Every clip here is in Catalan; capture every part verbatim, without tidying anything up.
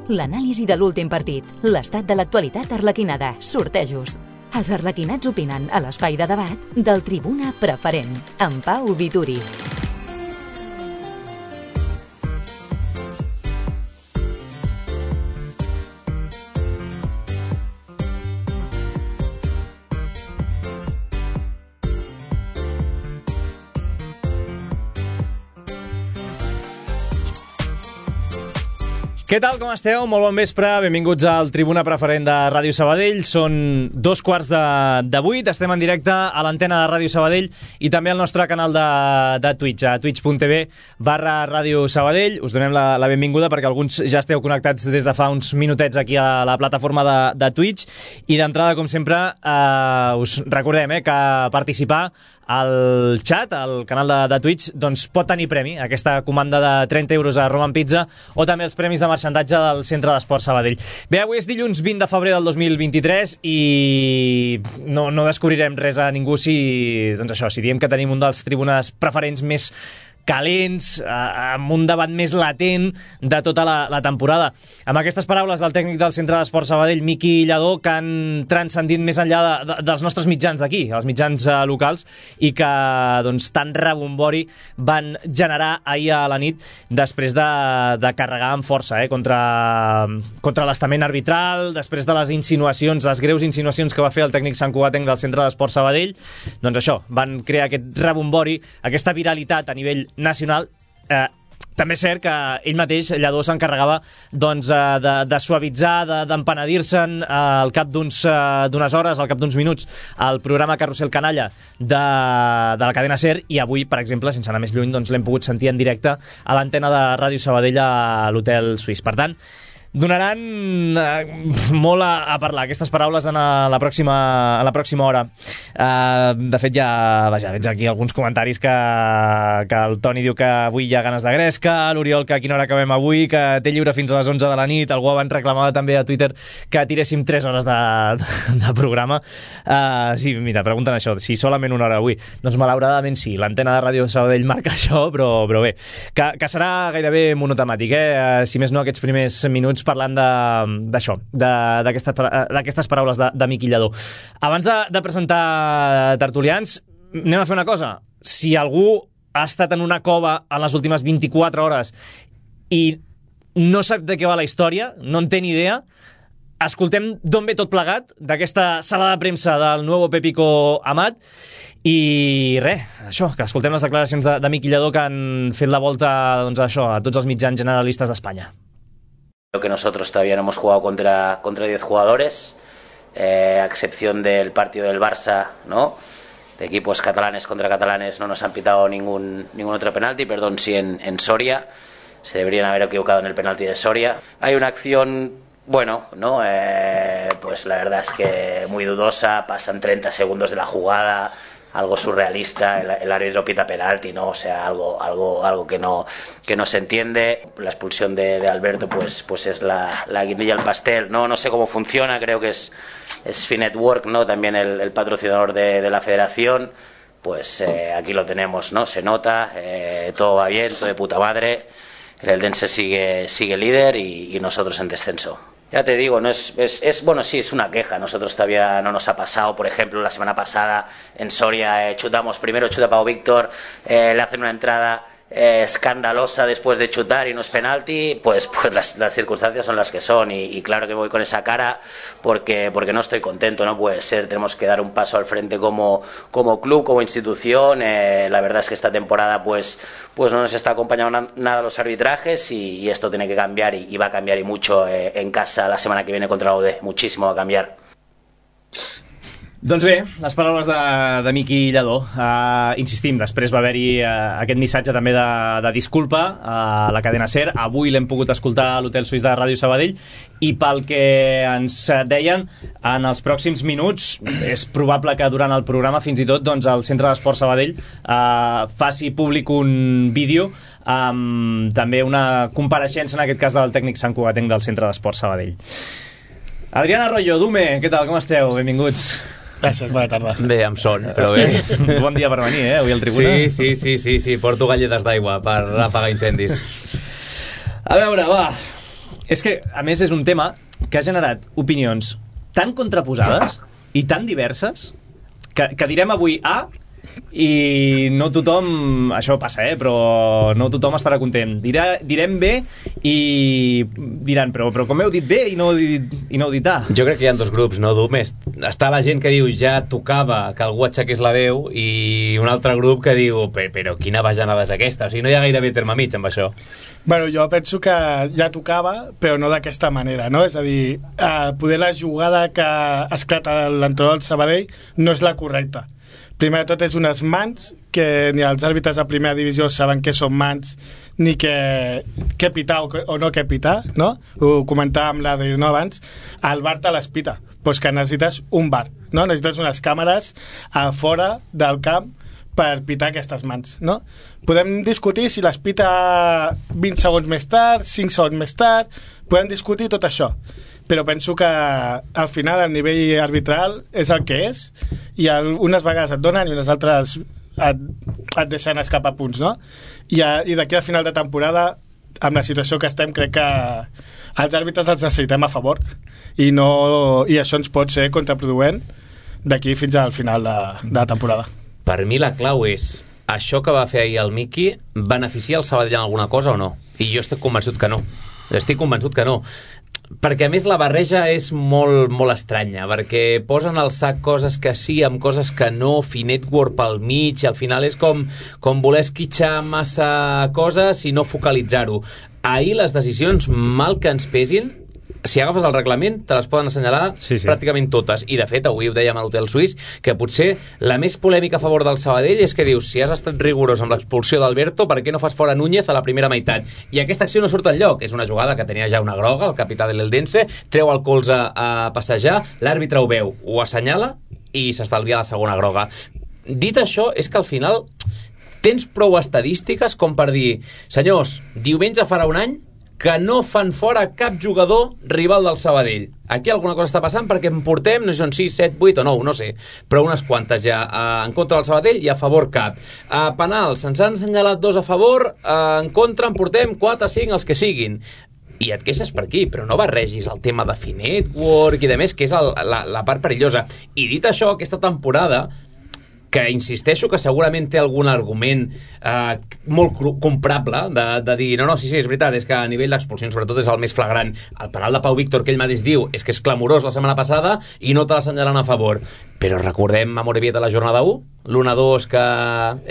l'anàlisi de l'últim partit, l'estat de l'actualitat arlequinada, sortejos. Els arlequinats opinen a l'espai de debat del Tribuna Preferent, amb Pau Vituri. Què tal, com esteu? Molt bon vespre, benvinguts al Tribuna Preferent de Ràdio Sabadell. Són dos quarts de, de vuit, estem en directe a l'antena de Ràdio Sabadell i també al nostre canal de, de Twitch, a twitch.tv barra Ràdio Sabadell. Us donem la, la benvinguda perquè alguns ja esteu connectats des de fa uns minutets aquí a la plataforma de, de Twitch. I d'entrada, com sempre, eh, us recordem eh, que participar al chat, al canal de, de Twitch, doncs pot tenir premi, aquesta comanda de trenta euros a Roman Pizza o també els premis de marxandatge del Centre d'Esport Sabadell. Bé, avui és dilluns vint de febrer del dos mil vint-i-tres i no, no descobrirem res a ningú si, doncs això, si diem que tenim un dels tribunes preferents més calents, amb un debat més latent de tota la, la temporada. Amb aquestes paraules del tècnic del Centre d'Esport Sabadell, Miqui Lladó, que han transcendit més enllà de, de, dels nostres mitjans d'aquí, els mitjans uh, locals, i que doncs, tant rebombori van generar ahir a la nit després de, de carregar amb força eh, contra, contra l'estament arbitral, després de les insinuacions, les greus insinuacions que va fer el tècnic santcugatenc del Centre d'Esport Sabadell. Doncs això, van crear aquest rebombori, aquesta viralitat a nivell nacional. Eh, també és cert que ell mateix, Lladó, s'encarregava doncs, de, de suavitzar, de, d'empenedir-se'n eh, al cap d'uns, eh, d'unes hores, al cap d'uns minuts, al programa Carrusel Canalla de, de la cadena SER, i avui, per exemple, sense anar més lluny, doncs, l'hem pogut sentir en directe a l'antena de Ràdio Sabadell a l'Hotel Suís. Per tant, donaran eh, molt a, a parlar aquestes paraules en a, la, pròxima, a la pròxima hora. Eh, de fet, ja vaja, veig aquí alguns comentaris que, que el Toni diu que avui hi ha ganes de gresca, l'Oriol que a quina hora acabem avui, que té lliure fins a les onze de la nit, algú abans reclamava també a Twitter que tiréssim tres hores de, de, de programa. Eh, sí, mira, pregunten això, si solament una hora avui. Doncs malauradament sí, l'antena de Ràdio Sabadell marca això, però, però bé, que, que serà gairebé monotemàtic, eh? Si més no aquests primers minuts parlant d'això, d'aquestes paraules de, de Miqui Lladó. Abans de, de presentar tertulians, anem a fer una cosa. Si algú ha estat en una cova en les últimes vint-i-quatre hores i no sap de què va la història, no en té ni idea, escoltem d'on ve tot plegat, d'aquesta sala de premsa del nuevo Pepico Amat, i res, això, que escoltem les declaracions de, de Miqui Lladó que han fet la volta doncs, això, a tots els mitjans generalistes d'Espanya. Creo que nosotros todavía no hemos jugado contra contra diez jugadores, eh, a excepción del partido del Barça, ¿no? De equipos catalanes contra catalanes no nos han pitado ningún ningún otro penalti, perdón, sí en, en Soria, se deberían haber equivocado en el penalti de Soria. Hay una acción, bueno, ¿no? Eh, pues la verdad es que muy dudosa, pasan treinta segundos de la jugada, algo surrealista, el, el árbitro pita penalti, ¿no? O sea, algo, algo, algo que no, que no se entiende. La expulsión de, de Alberto, pues, pues es la, la guindilla al pastel, ¿no? No sé cómo funciona, creo que es, es Finetwork, ¿no? También el, el patrocinador de, de la federación. Pues eh, aquí lo tenemos, ¿no? Se nota, eh, todo va bien, todo de puta madre. El Eldense sigue, sigue líder y, y nosotros en descenso. Ya te digo, no es, es, es bueno, sí, es una queja. Nosotros todavía no nos ha pasado. Por ejemplo, la semana pasada en Soria eh, chutamos, primero chuta Pau Víctor, eh, le hacen una entrada eh, escandalosa después de chutar y no es penalti. Pues, pues las, las circunstancias son las que son y, y claro que voy con esa cara porque, porque no estoy contento, no puede ser. Tenemos que dar un paso al frente como, como club, como institución. Eh, la verdad es que esta temporada pues, pues no nos está acompañando na, nada los arbitrajes y, y esto tiene que cambiar y, y va a cambiar y mucho eh, en casa la semana que viene contra la U D. Muchísimo va a cambiar. Doncs bé, les paraules de, de Miqui Lladó. Uh, insistim, després va haver-hi uh, aquest missatge també de, de disculpa a la cadena SER. Avui l'hem pogut escoltar a l'Hotel Suís de Ràdio Sabadell i pel que ens deien, en els pròxims minuts és probable que durant el programa fins i tot doncs, el Centre d'Esport Sabadell uh, faci públic un vídeo amb també una compareixença, en aquest cas del tècnic santcugatenc del Centre d'Esport Sabadell. Adrián Arroyo, Dume, què tal, com esteu? Benvinguts. Gràcies, bona tarda. Bé, amb son, però bé. Bon dia per venir, eh, avui al Tribuna. Sí, sí, sí, sí, sí. Porto galletes d'aigua per apagar incendis. A veure, va, És que, a més, és un tema que ha generat opinions tan contraposades i tan diverses que, que direm avui A i no tothom, això passa, eh, però no tothom estarà content. Dirà, direm B i diran, però, però com heu dit B i no heu dit, i no heu dit A? Jo crec que hi ha dos grups, no? Més. Està la gent que diu ja tocava que algú aixequés la veu i un altre grup que diu però, però quina bajanada és aquesta? O sigui, no hi ha gairebé terme mig amb això. Bueno, jo penso que ja tocava, però no d'aquesta manera, no? És a dir, eh, poder la jugada que esclata l'entrenador del Sabadell no és la correcta. Primer de tot és unes mans que ni els àrbitres de primera divisió saben què són mans ni què, què pitar o, o no què pitar, no? Ho comentàvem l'Adri, no, abans. El V A R te les pita, doncs que necessites un V A R, no? Necessites unes càmeres a fora del camp per pitar aquestes mans, no? Podem discutir si les pita vint segons més tard, cinc segons més tard, podem discutir tot això, però penso que al final el nivell arbitral és el que és i el, unes vegades et donen i unes altres et, et deixen escapar punts, no? I, a, i d'aquí al final de temporada, amb la situació que estem, crec que els àrbitres els necessitem a favor i, no, i això ens pot ser contraproduent d'aquí fins al final de, de la temporada. Per mi la clau és això que va fer ahir el Miqui beneficia el Sabadell en alguna cosa o no? I jo estic convençut que no. Estic convençut que no. Perquè a més la barreja és molt, molt estranya, perquè posen al sac coses que sí amb coses que no, fi network pel mig, i al final és com, com voler esquitxar massa coses i no focalitzar-ho. Ahir les decisions, mal que ens pesin, si agafes el reglament te les poden assenyalar sí, sí. pràcticament totes, i de fet avui ho dèiem a l'Hotel Suís que potser la més polèmica a favor del Sabadell és que dius, si has estat rigorós amb l'expulsió d'Alberto, per què no fas fora Núñez a la primera meitat? I aquesta acció no surt enlloc, és una jugada que tenia ja una groga, el capità de l'Eldense treu el colze a passejar, l'àrbitre ho veu, ho assenyala i s'estalvia la segona groga. Dit això, és que al final tens prou estadístiques com per dir, senyors, diumenge farà un any que no fan fora cap jugador rival del Sabadell. Aquí alguna cosa està passant perquè en portem, no sé si són sis, set, vuit o nou, no sé, però unes quantes ja uh, en contra del Sabadell i a favor cap. Uh, penals, se'ns han assenyalat dos a favor, uh, en contra en portem quatre, cinc, els que siguin. I et queixes per aquí, però no barregis el tema de fi network i de més, que és el, la, la part perillosa. I dit això, aquesta temporada, que insisteixo que segurament té algun argument eh, molt comprable de, de dir, no, no, sí, sí, és veritat, és que a nivell d'expulsions sobretot és el més flagrant. El penal de Pau Víctor que ell mateix diu és que és clamorós la setmana passada i no te l'assenyalen a favor, però recordem a Morevieta la jornada u, l'u a dos que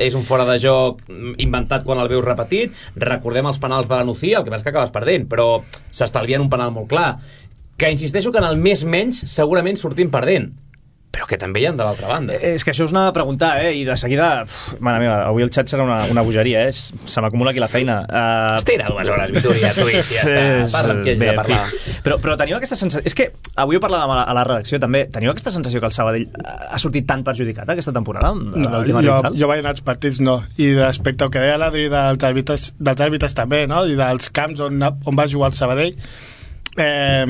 és un fora de joc inventat quan el veus repetit, recordem els penals de la Nucía, el que passa que acabes perdent, però s'estalvien un penal molt clar, que insisteixo que en el més menys segurament sortim perdent, però que també hi ha de l'altra banda. És que això us anava a preguntar, eh? I de seguida, uf, mare meva, avui el xat serà una, una bogeria, eh? Se m'acumula aquí la feina. Uh... Estira dues hores, Vitoria, tu, i ja està. Parla amb qui hagis de parlar. Però, però teniu aquesta sensació... És que avui ho parlàvem a la, a la redacció també. Teniu aquesta sensació que el Sabadell ha sortit tan perjudicat aquesta temporada? No, jo, jo vaig anar als partits, no. I respecte al que deia l'Adri dels àrbitres, dels àrbitres també, no? I dels camps on, on va jugar el Sabadell, eh...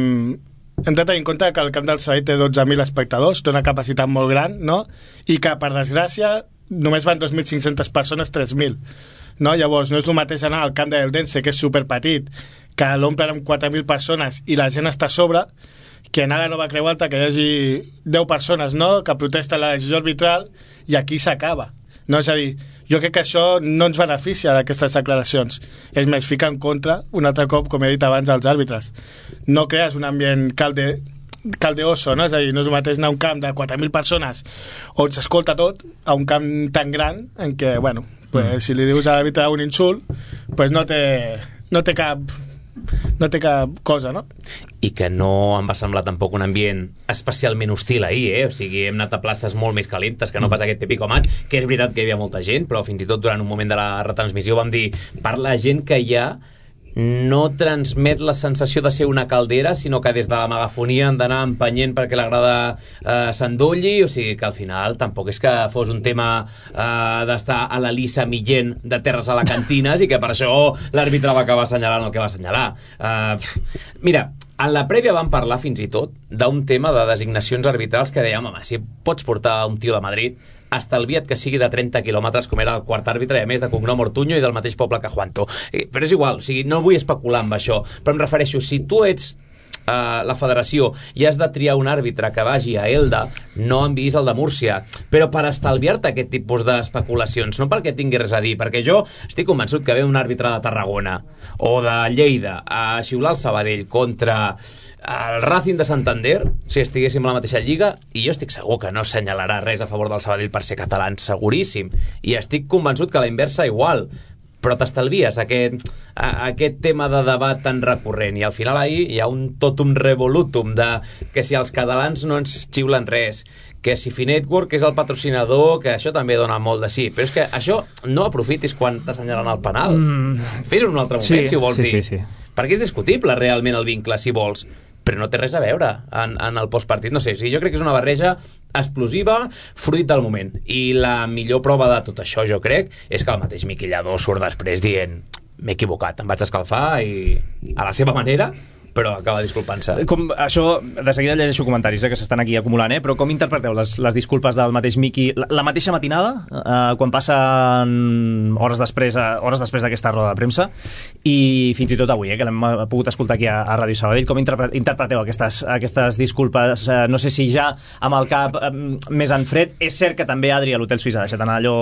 hem de tenir en compte que el camp del Sabadell té dotze mil espectadors, té una capacitat molt gran, no? I que, per desgràcia, només van dos mil cinc-centes persones, tres mil. No? Llavors, no és el mateix anar al camp de l'Eldense, que és superpetit, que l'omplen amb quatre mil persones i la gent està a sobre, que anar a la Nova Creu Alta, que hi hagi deu persones, no?, que protesten la decisió arbitral, i aquí s'acaba. No? És a dir, jo crec que això no ens beneficia d'aquestes declaracions. És més, fica en contra, un altre cop, com he dit abans, als àrbitres. No crees un ambient calde, caldeoso, no? És a dir, no és el mateix anar a un camp de quatre mil persones on s'escolta tot, a un camp tan gran en què, bueno, pues, mm. si li dius a l'àrbitre un insult, pues no té, no té cap... no té cap cosa, no? I que no em va semblar tampoc un ambient especialment hostil ahir, eh? O sigui, hem anat a places molt més calentes que no pas aquest típic match, que és veritat que hi havia molta gent, però fins i tot durant un moment de la retransmissió vam dir, per la gent que hi ha no transmet la sensació de ser una caldera, sinó que des de la megafonia han d'anar empenyent perquè l'agrada eh, s'endolli, o sigui que al final tampoc és que fos un tema eh, d'estar a la Lisa Millén de terres alacantines i que per això l'àrbitre va acabar assenyalant el que va assenyalar. Eh, mira, en la prèvia vam parlar fins i tot d'un tema de designacions arbitrals que dèiem, home, si pots portar un tio de Madrid, estalvia't que sigui de trenta quilòmetres, com era el quart àrbitre, i a més de cognom Ortuño i del mateix poble que Juanto. Però és igual, o sigui, no vull especular amb això, però em refereixo, si tu ets Uh, la federació i has de triar un àrbitre que vagi a Elda, no enviïs el de Múrcia, però per estalviar-te aquest tipus d'especulacions, no perquè tingui res a dir, perquè jo estic convençut que ve un àrbitre de Tarragona o de Lleida a xiular el Sabadell contra el Racing de Santander, si estiguéssim a la mateixa lliga, i jo estic segur que no assenyalarà res a favor del Sabadell per ser catalans, seguríssim, i estic convençut que la inversa igual, però t'estalvies aquest, a, aquest tema de debat tan recurrent, i al final ahir hi ha un totum revolutum de que si els catalans no ens xiulen res, que si Finetwork és el patrocinador, que això també dona molt de sí, però és que això no aprofitis quan t'assenyalen el penal, mm. fes-ho en un altre moment, sí, si ho vols sí, dir, sí, sí. perquè és discutible realment el vincle, si vols, però no té res a veure en, en el postpartit, no sé, o sigui, jo crec que és una barreja explosiva, fruit del moment, i la millor prova de tot això, jo crec, és que el mateix Miqui Lladó surt després dient m'he equivocat, em vaig escalfar i a la seva manera, però acaba disculpant-se. Com, això, de seguida llegeixo comentaris eh, que s'estan aquí acumulant, eh? Però com interpreteu les, les disculpes del mateix Miqui la, la mateixa matinada, eh, quan passen hores després eh, hores després d'aquesta roda de premsa, i fins i tot avui, eh, que l'hem pogut escoltar aquí a, a Ràdio Sabadell, com interpre interpreteu aquestes, aquestes disculpes? Eh, no sé si ja amb el cap eh, més en fred. És cert que també Adri a l'Hotel Suïssa ha deixat anar allò,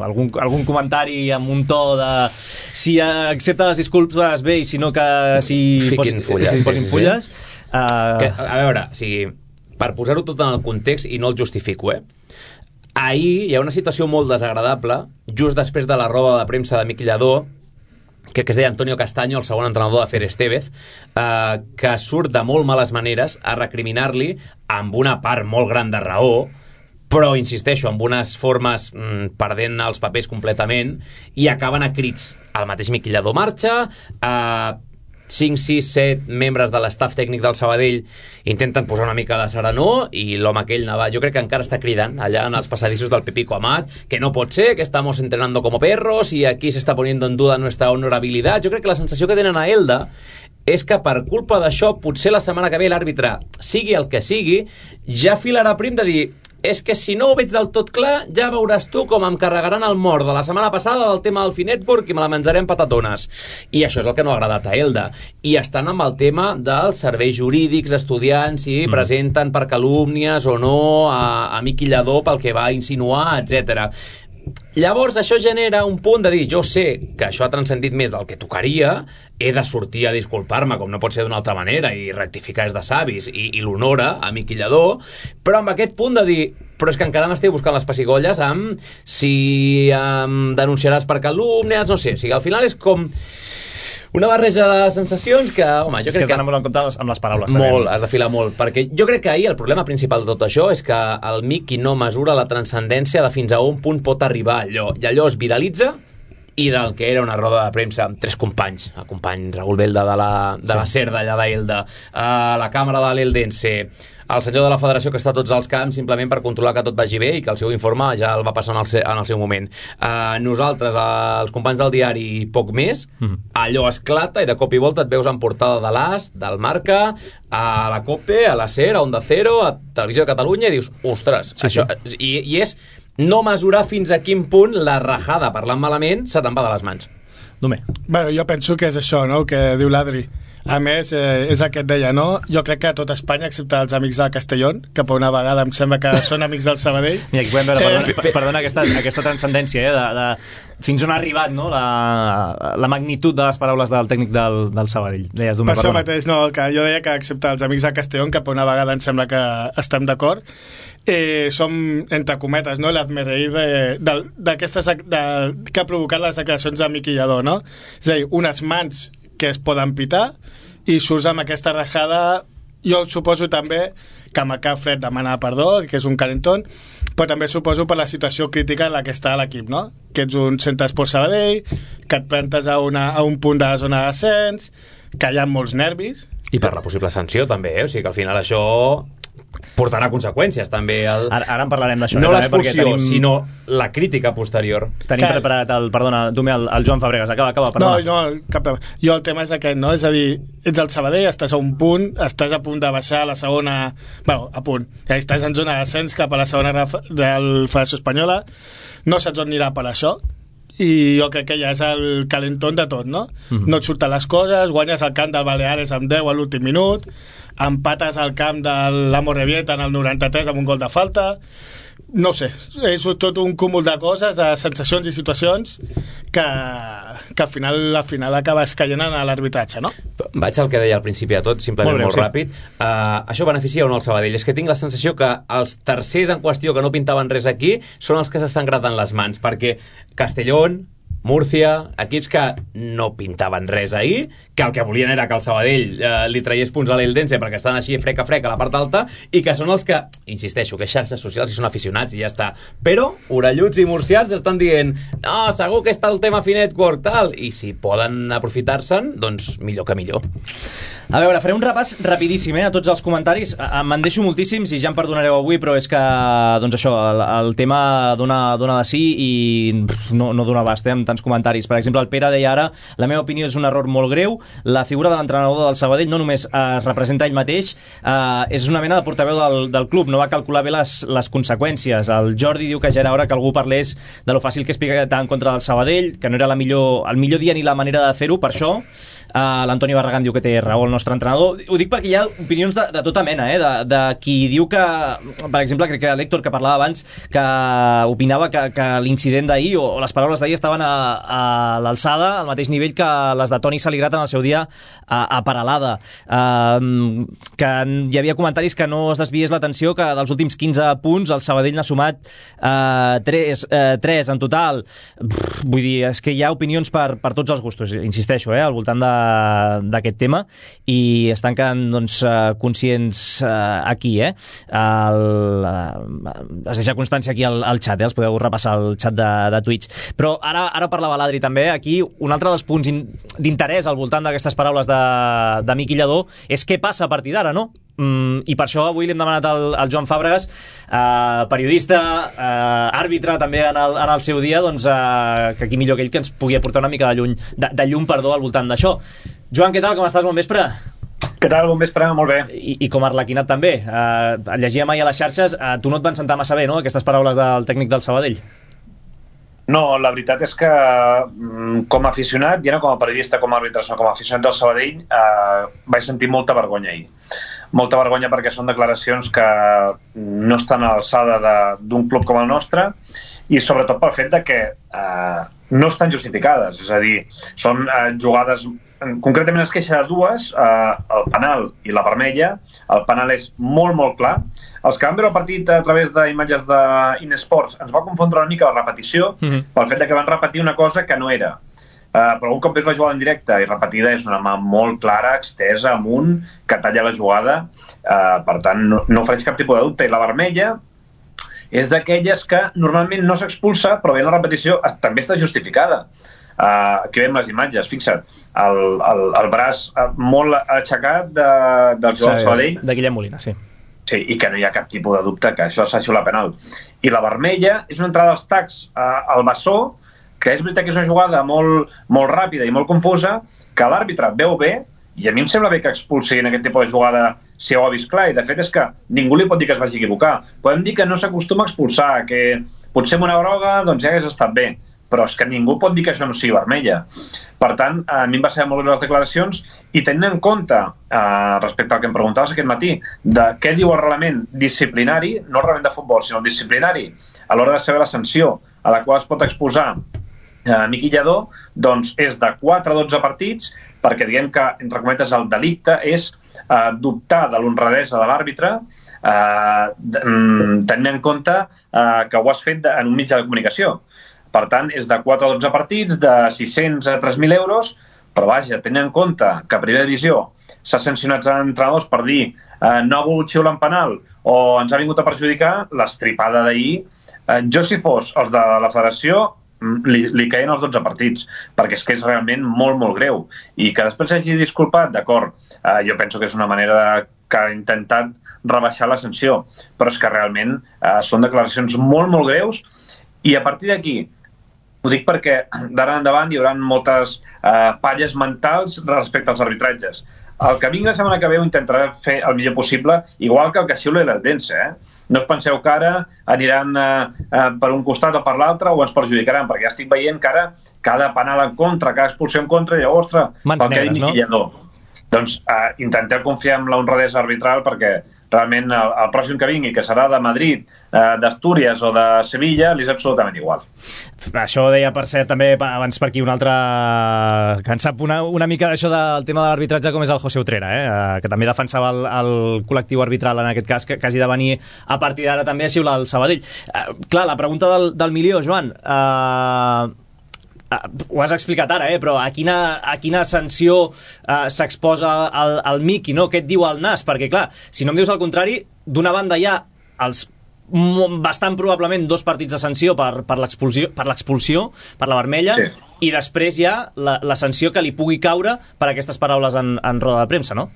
algun, algun comentari amb un to de si accepta les disculpes bé i si no que si fiquin fulles. Sí, posin fulles. Sí, sí. Uh... Que, a veure, o sigui, per posar-ho tot en el context, i no el justifico, eh? Ahir hi ha una situació molt desagradable, just després de la roda de premsa de Miqui Lladó, crec que es deia Antonio Castaño, el segon entrenador de Fer Estevez, eh, que surt de molt males maneres a recriminar-li, amb una part molt gran de raó, però, insisteixo, amb unes formes mmm, perdent els papers completament, i acaben a crits. El mateix Miqui Lladó marxa, eh, cinc, sis, set membres de l'estaf tècnic del Sabadell intenten posar una mica de serenor, i l'home aquell, jo crec que encara està cridant allà en els passadissos del Pepico Amat, que no pot ser, que estamos entrenando como perros y aquí se está poniendo en duda nuestra honorabilidad. Jo crec que la sensació que tenen a Elda és que per culpa d'això, potser la setmana que ve l'àrbitre, sigui el que sigui, ja filarà prim de dir és que si no ho veig del tot clar, ja veuràs tu com em carregaran el mort de la setmana passada del tema del Finetwork i me la menjaré en patatones. I això és el que no ha agradat a Elda. I estan amb el tema dels serveis jurídics, estudiants, si mm. presenten per calúmnies o no a, a Miqui Lladó pel que va insinuar, etcètera. Llavors això genera un punt de dir, jo sé que això ha transcendit més del que tocaria, he de sortir a disculpar-me com no pot ser d'una altra manera i rectificar és de savis i, i l'honora a Miqui Lladó, però amb aquest punt de dir, però és que encara m'estic buscant les pessigolles amb si em denunciaràs per calúmnies, no sé, o sigui, al final és com una barreja de sensacions que, home, jo és crec que... És que molt en compte amb les paraules. Molt, també. has de filar molt, perquè jo crec que ahir el problema principal de tot això és que el Miqui no mesura la transcendència de fins a un punt pot arribar allò, i allò es viralitza, i del que era una roda de premsa amb tres companys, el company Raúl Belda de la, de la SER d'allà d'Elda, a la càmera de l'Eldense, el senyor de la federació que està a tots els camps simplement per controlar que tot vagi bé i que el seu informe ja el va passar en el, se, en el seu moment. Uh, nosaltres, uh, els companys del diari, poc més, mm. allò esclata i de cop i volta et veus en portada de l'As, del Marca, a la COPE, a la SER, a Onda Cero, a Televisió de Catalunya, i dius, ostres, sí, això... Sí. I, I és no mesurar fins a quin punt la rajada, parlant malament, se te'n va de les mans. Domé. Bueno, jo penso que és això, no?, que diu l'Adri. A més, eh, és el que et deia, no? Jo crec que a tot Espanya, excepte els amics del Castellón, que per una vegada em sembla que són amics del Sabadell. Mira, aquí podem veure, perdona, eh, perdona aquesta, aquesta transcendència, eh, de, de fins on ha arribat, no?, la, la magnitud de les paraules del tècnic del, del Sabadell. Deies, Domé, per això mateix, no, que jo deia que excepte els amics del Castellón, que per una vegada em sembla que estem d'acord, eh, som, entre cometes, no?, l'admereir d'aquestes que ha provocat les declaracions de Miqui Lladó, no? És a dir, unes mans que es poden pitar i surts amb aquesta rajada. Jo suposo també que amb el cap fred demana perdó, que és un calentón, però també suposo per la situació crítica en la que està l'equip, no? Que ets un centre esport Sabadell, que et plantes a, una, a un punt de la zona de descens, que hi ha molts nervis. I per la possible sanció també, eh? O sigui que al final això portarà conseqüències també el... Ara, ara en parlarem d'això. No eh, l'expulsió, tenim... sinó la crítica posterior. Tenim Cal... preparat el, perdona, tu el, el Joan Fabregas, acaba, acaba, perdona. No, no, cap problema. Jo el tema és aquest, no? És a dir, ets al Sabadell, estàs a un punt, estàs a punt de baixar a la segona... Bueno, a punt. Ja estàs en zona d'ascens cap a la segona de la Federació Espanyola, no saps on anirà per això, i jo crec que ja és el calentón de tot, no? Mm-hmm. No et surten les coses, guanyes el camp del Baleares amb deu a l'últim minut, empates al camp de l'Amorebieta en el noranta-tres amb un gol de falta. No sé, és tot un cúmul de coses, de sensacions i situacions que, que al final al final acabes caient en l'arbitratge, no? Vaig al que deia al principi de tot, simplement molt, breu, molt sí. ràpid. Uh, això beneficia o no el Sabadell? És que tinc la sensació que els tercers en qüestió que no pintaven res aquí són els que s'estan gratant les mans, perquè Castellón, Múrcia, equips que no pintaven res ahir, que el que volien era que el Sabadell eh, li traiés punts a l'Eldense perquè estan així frec a frec a la part alta, i que són els que, insisteixo, que xarxes socials i són aficionats i ja està, però orelluts i murcians estan dient no, segur que està el tema Finetwork, tal, i si poden aprofitar-se'n, doncs millor que millor. A veure, faré un repàs rapidíssim eh, a tots els comentaris. Me'n deixo moltíssims i ja em perdonareu avui, però és que, doncs això, el, el tema dona, dona de sí i no, no dona abast, eh, amb tants comentaris. Per exemple, el Pere deia ara, la meva opinió és un error molt greu, la figura de l'entrenador del Sabadell no només es representa ell mateix, eh, és una mena de portaveu del, del club, no va calcular bé les, les conseqüències. El Jordi diu que ja era hora que algú parlés de lo fàcil que és picar en contra del Sabadell, que no era la millor, el millor dia ni la manera de fer-ho, per això. Uh, l'Antoni Barragán diu que té raó el nostre entrenador. Ho dic perquè hi ha opinions de, de tota mena, eh? de, de qui diu que, per exemple, crec que l'Héctor, que parlava abans, que opinava que, que l'incident d'ahir o, o les paraules d'ahir estaven a, a l'alçada, al mateix nivell que les de Toni Saligrat en el seu dia a, a Paralada. Uh, que hi havia comentaris que no es desviés l'atenció, que dels últims quinze punts el Sabadell n'ha sumat uh, tres, uh, tres en total. Pff, vull dir, és que hi ha opinions per, per tots els gustos, insisteixo, eh? al voltant de d'aquest tema, i estan quedant doncs, conscients uh, aquí, eh? El, uh, es deixa constància aquí al, al xat, eh? Els podeu repassar al xat de, de Twitch. Però ara, ara parlava l'Adri també, aquí un altre dels punts d'interès al voltant d'aquestes paraules de, de Miqui Lladó és què passa a partir d'ara, no? Mm, i per això avui li hem demanat al, al Joan Fàbregas, eh, periodista, eh, àrbitre també en el, en el seu dia, doncs, eh, que aquí millor que ell que ens pugui aportar una mica de, lluny, de, de llum perdó, al voltant d'això. Joan, què tal? Com estàs? Bon vespre. Què tal? Bon vespre, molt bé. I, i com a arlequinat també. Eh, llegíem ahir a les xarxes, eh, tu no et van sentar massa bé, no?, aquestes paraules del tècnic del Sabadell. No, la veritat és que com a aficionat, ja no com a periodista, com a àrbitre, sinó com a aficionat del Sabadell, eh, vaig sentir molta vergonya ahir. Molta vergonya perquè són declaracions que no estan a l'alçada d'un club com el nostre, i sobretot pel fet de que eh, no estan justificades. És a dir, són eh, jugades... Concretament es queixa de dues, eh, el penal i la vermella. El penal és molt, molt clar. Els que van veure el partit a través d'imatges d'Inesports ens va confondre una mica la repetició, mm-hmm. pel fet de que van repetir una cosa que no era. Uh, però un cop veus la jugada en directe i repetida és una mà molt clara, extesa, amunt, que talla la jugada. Uh, per tant, no, no ofereix cap tipus de dubte. I la vermella és d'aquelles que normalment no s'expulsa, però bé la repetició també està justificada. Uh, aquí veiem les imatges, fixa't, el, el, el braç molt aixecat de, del jugador sí, Sabadell. De Guillem Molina, sí. Sí, i que no hi ha cap tipus de dubte que això s'ha la penal. I la vermella és una entrada dels tacs uh, al bessó, que és veritat que és una jugada molt, molt ràpida i molt confusa, que l'àrbitre veu bé, i a mi em sembla bé que expulsi en aquest tipus de jugada si ho ha vist clar, i de fet és que ningú li pot dir que es vagi equivocar. Podem dir que no s'acostuma a expulsar, que potser amb una groga doncs ja hagués estat bé, però és que ningú pot dir que això no sigui vermella. Per tant, a mi em va ser molt bé les declaracions, i tenint en compte, eh, respecte al que em preguntaves aquest matí, de què diu el reglament disciplinari, no el reglament de futbol, sinó el disciplinari, a l'hora de saber la sanció a la qual es pot exposar Uh, Miqui Lladó, doncs és de quatre a dotze partits, perquè diguem que, entre cometes, el delicte és uh, dubtar de l'honradesa de l'àrbitre, uh, tenint en compte uh, que ho has fet de, en un mitjà de comunicació. Per tant, és de quatre a dotze partits, de sis-cents a tres mil euros, però vaja, tenint en compte que a primera divisió s'ha sancionat a entrenadors per dir uh, no ha volgut xiular en penal o ens ha vingut a perjudicar, l'estripada d'ahir, uh, jo si fos els de la federació, Li, li caien els dotze partits, perquè és que és realment molt, molt greu. I que després hagi disculpat, d'acord, eh, jo penso que és una manera de que ha intentat rebaixar la sanció. Però és que realment eh, són declaracions molt, molt greus, i a partir d'aquí, ho dic perquè d'ara endavant hi haurà moltes eh, palles mentals respecte als arbitratges. El que vingui la setmana que ve ho intentarà fer el millor possible, igual que el que xiula l'Eldense, eh? No us penseu que ara aniran eh, eh, per un costat o per l'altre o ens perjudicaran, perquè ja estic veient que ara cada penal en contra, cada expulsió en contra, i ostres, mans negres, no? Doncs eh, intenteu confiar en la honradesa arbitral, perquè realment el, el pròxim que vingui, que serà de Madrid, eh, d'Astúries o de Sevilla, li és absolutament igual. Això ho deia, per cert, també abans per aquí un altre que en sap una, una mica d'això del tema de l'arbitratge, com és el José Utrera, eh? eh, que també defensava el, el col·lectiu arbitral en aquest cas, que, que hagi de venir a partir d'ara també a xiular el Sabadell. Eh, clar, la pregunta del, del milió, Joan, eh, Uh, ho has explicat ara, eh? Però a quina, a quina sanció uh, s'exposa el, el Miqui, no? Què et diu el N A S? Perquè, clar, si no em dius el contrari, d'una banda hi ha els bastant probablement dos partits de sanció per, per l'expulsió, per l'expulsió, per la vermella, sí. I després hi ha la, la sanció que li pugui caure per aquestes paraules en, en roda de premsa, no?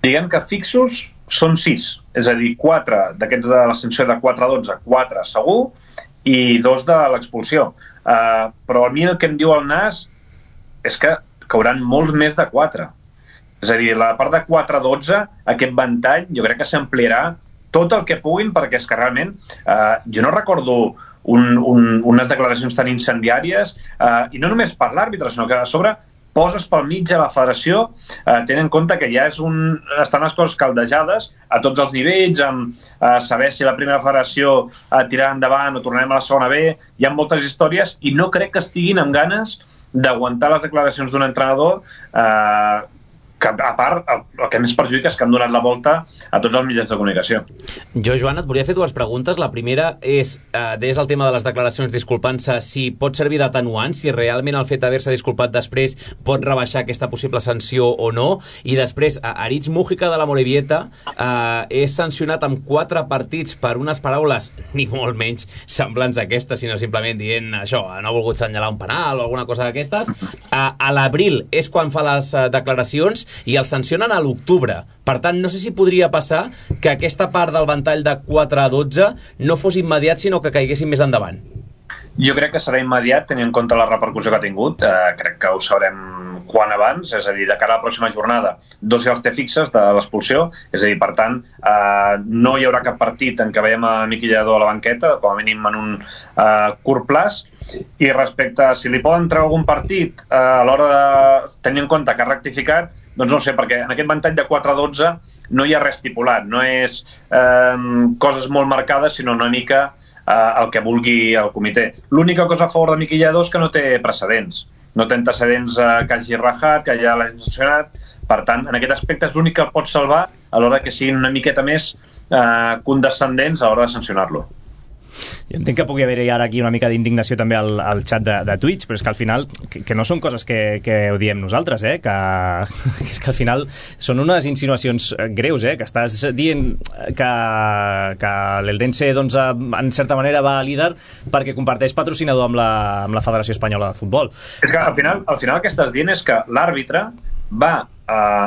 Diguem que fixos són sis, és a dir, quatre d'aquests de la sanció de quatre a dotze, quatre segur, i dos de l'expulsió. Uh, però a mi el que em diu el N A S és que cauran molts més de quatre. És a dir, la part de quatre a dotze, aquest ventall, jo crec que s'ampliarà tot el que puguin, perquè és que realment uh, jo no recordo un, un, unes declaracions tan incendiàries, uh, i no només per l'àrbitre, sinó que a sobre poses pel mig a la federació, eh, tenint en compte que ja és un, estan les coses caldejades a tots els nivells, amb eh, saber si la primera federació eh, tirarà endavant o tornarem a la segona B, hi ha moltes històries i no crec que estiguin amb ganes d'aguantar les declaracions d'un entrenador eh, que, a part, el, el que més perjudica és que han donat la volta a tots els mitjans de comunicació. Jo, Joan, et volia fer dues preguntes. La primera és, eh, des el tema de les declaracions disculpant-se, si pot servir d'atenuant, si realment el fet d'haver-se disculpat després pot rebaixar aquesta possible sanció o no. I després, Aritz Mújica de la Morevieta eh, és sancionat amb quatre partits per unes paraules, ni molt menys semblants a aquestes, sinó simplement dient això, no ha volgut senyalar un penal o alguna cosa d'aquestes. Eh, a l'abril és quan fa les eh, declaracions i el sancionen a l'octubre. Per tant, no sé si podria passar que aquesta part del ventall de quatre a dotze no fos immediat, sinó que caiguessin més endavant. Jo crec que serà immediat, tenint en compte la repercussió que ha tingut. Eh, crec que ho sabrem quan abans, és a dir, de cara a la pròxima jornada, dos ja els té fixes de l'expulsió, és a dir, per tant, eh, no hi haurà cap partit en què veiem a Miqui Lladó a la banqueta, com a mínim en un eh, curt plaç, i respecte a si li poden treure algun partit eh, a l'hora de tenir en compte que ha rectificat, doncs no sé, perquè en aquest ventall de quatre a dotze no hi ha res estipulat, no és eh, coses molt marcades, sinó una mica eh, el que vulgui el comitè. L'única cosa a favor de Miqui Lladó és que no té precedents, no té antecedents eh, que hagi rajat, que ja l'hagi sancionat, per tant, en aquest aspecte és l'únic que el pot salvar a l'hora que siguin una miqueta més eh, condescendents a l'hora de sancionar-lo. Jo entenc que pugui haver-hi ara aquí una mica d'indignació també al, al xat de, de Twitch, però és que al final, que, que no són coses que, que ho diem nosaltres, eh? que, que és que al final són unes insinuacions greus, eh? Que estàs dient que, que l'Eldense doncs, en certa manera va a líder perquè comparteix patrocinador amb la, amb la Federació Espanyola de Futbol. És que al final, al final el que estàs dient és que l'àrbitre va eh,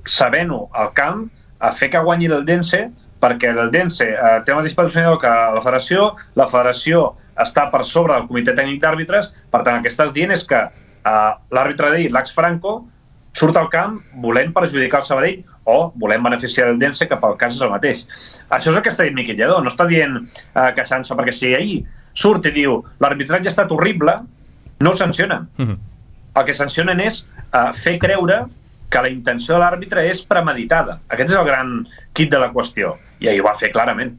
sabent-ho al camp a fer que guanyi l'Eldense, perquè l'Eldense eh, té el mateix patrocinador que la federació, la federació està per sobre del comitè tècnic d'àrbitres, per tant el que estàs dient és que eh, l'àrbitre d'ahir, l'Ax Franco, surt al camp volent perjudicar el Sabadell o volent beneficiar l'Eldense, que pel cas és el mateix. Això és el que està dient Miqui Lladó, no està dient eh, queixant-se, perquè si ahir surt i diu l'arbitratge ha estat horrible, no el sancionen. Mm-hmm. El que sancionen és eh, fer creure que la intenció de l'àrbitre és premeditada. Aquest és el gran quid de la qüestió. I ahir ho va fer clarament.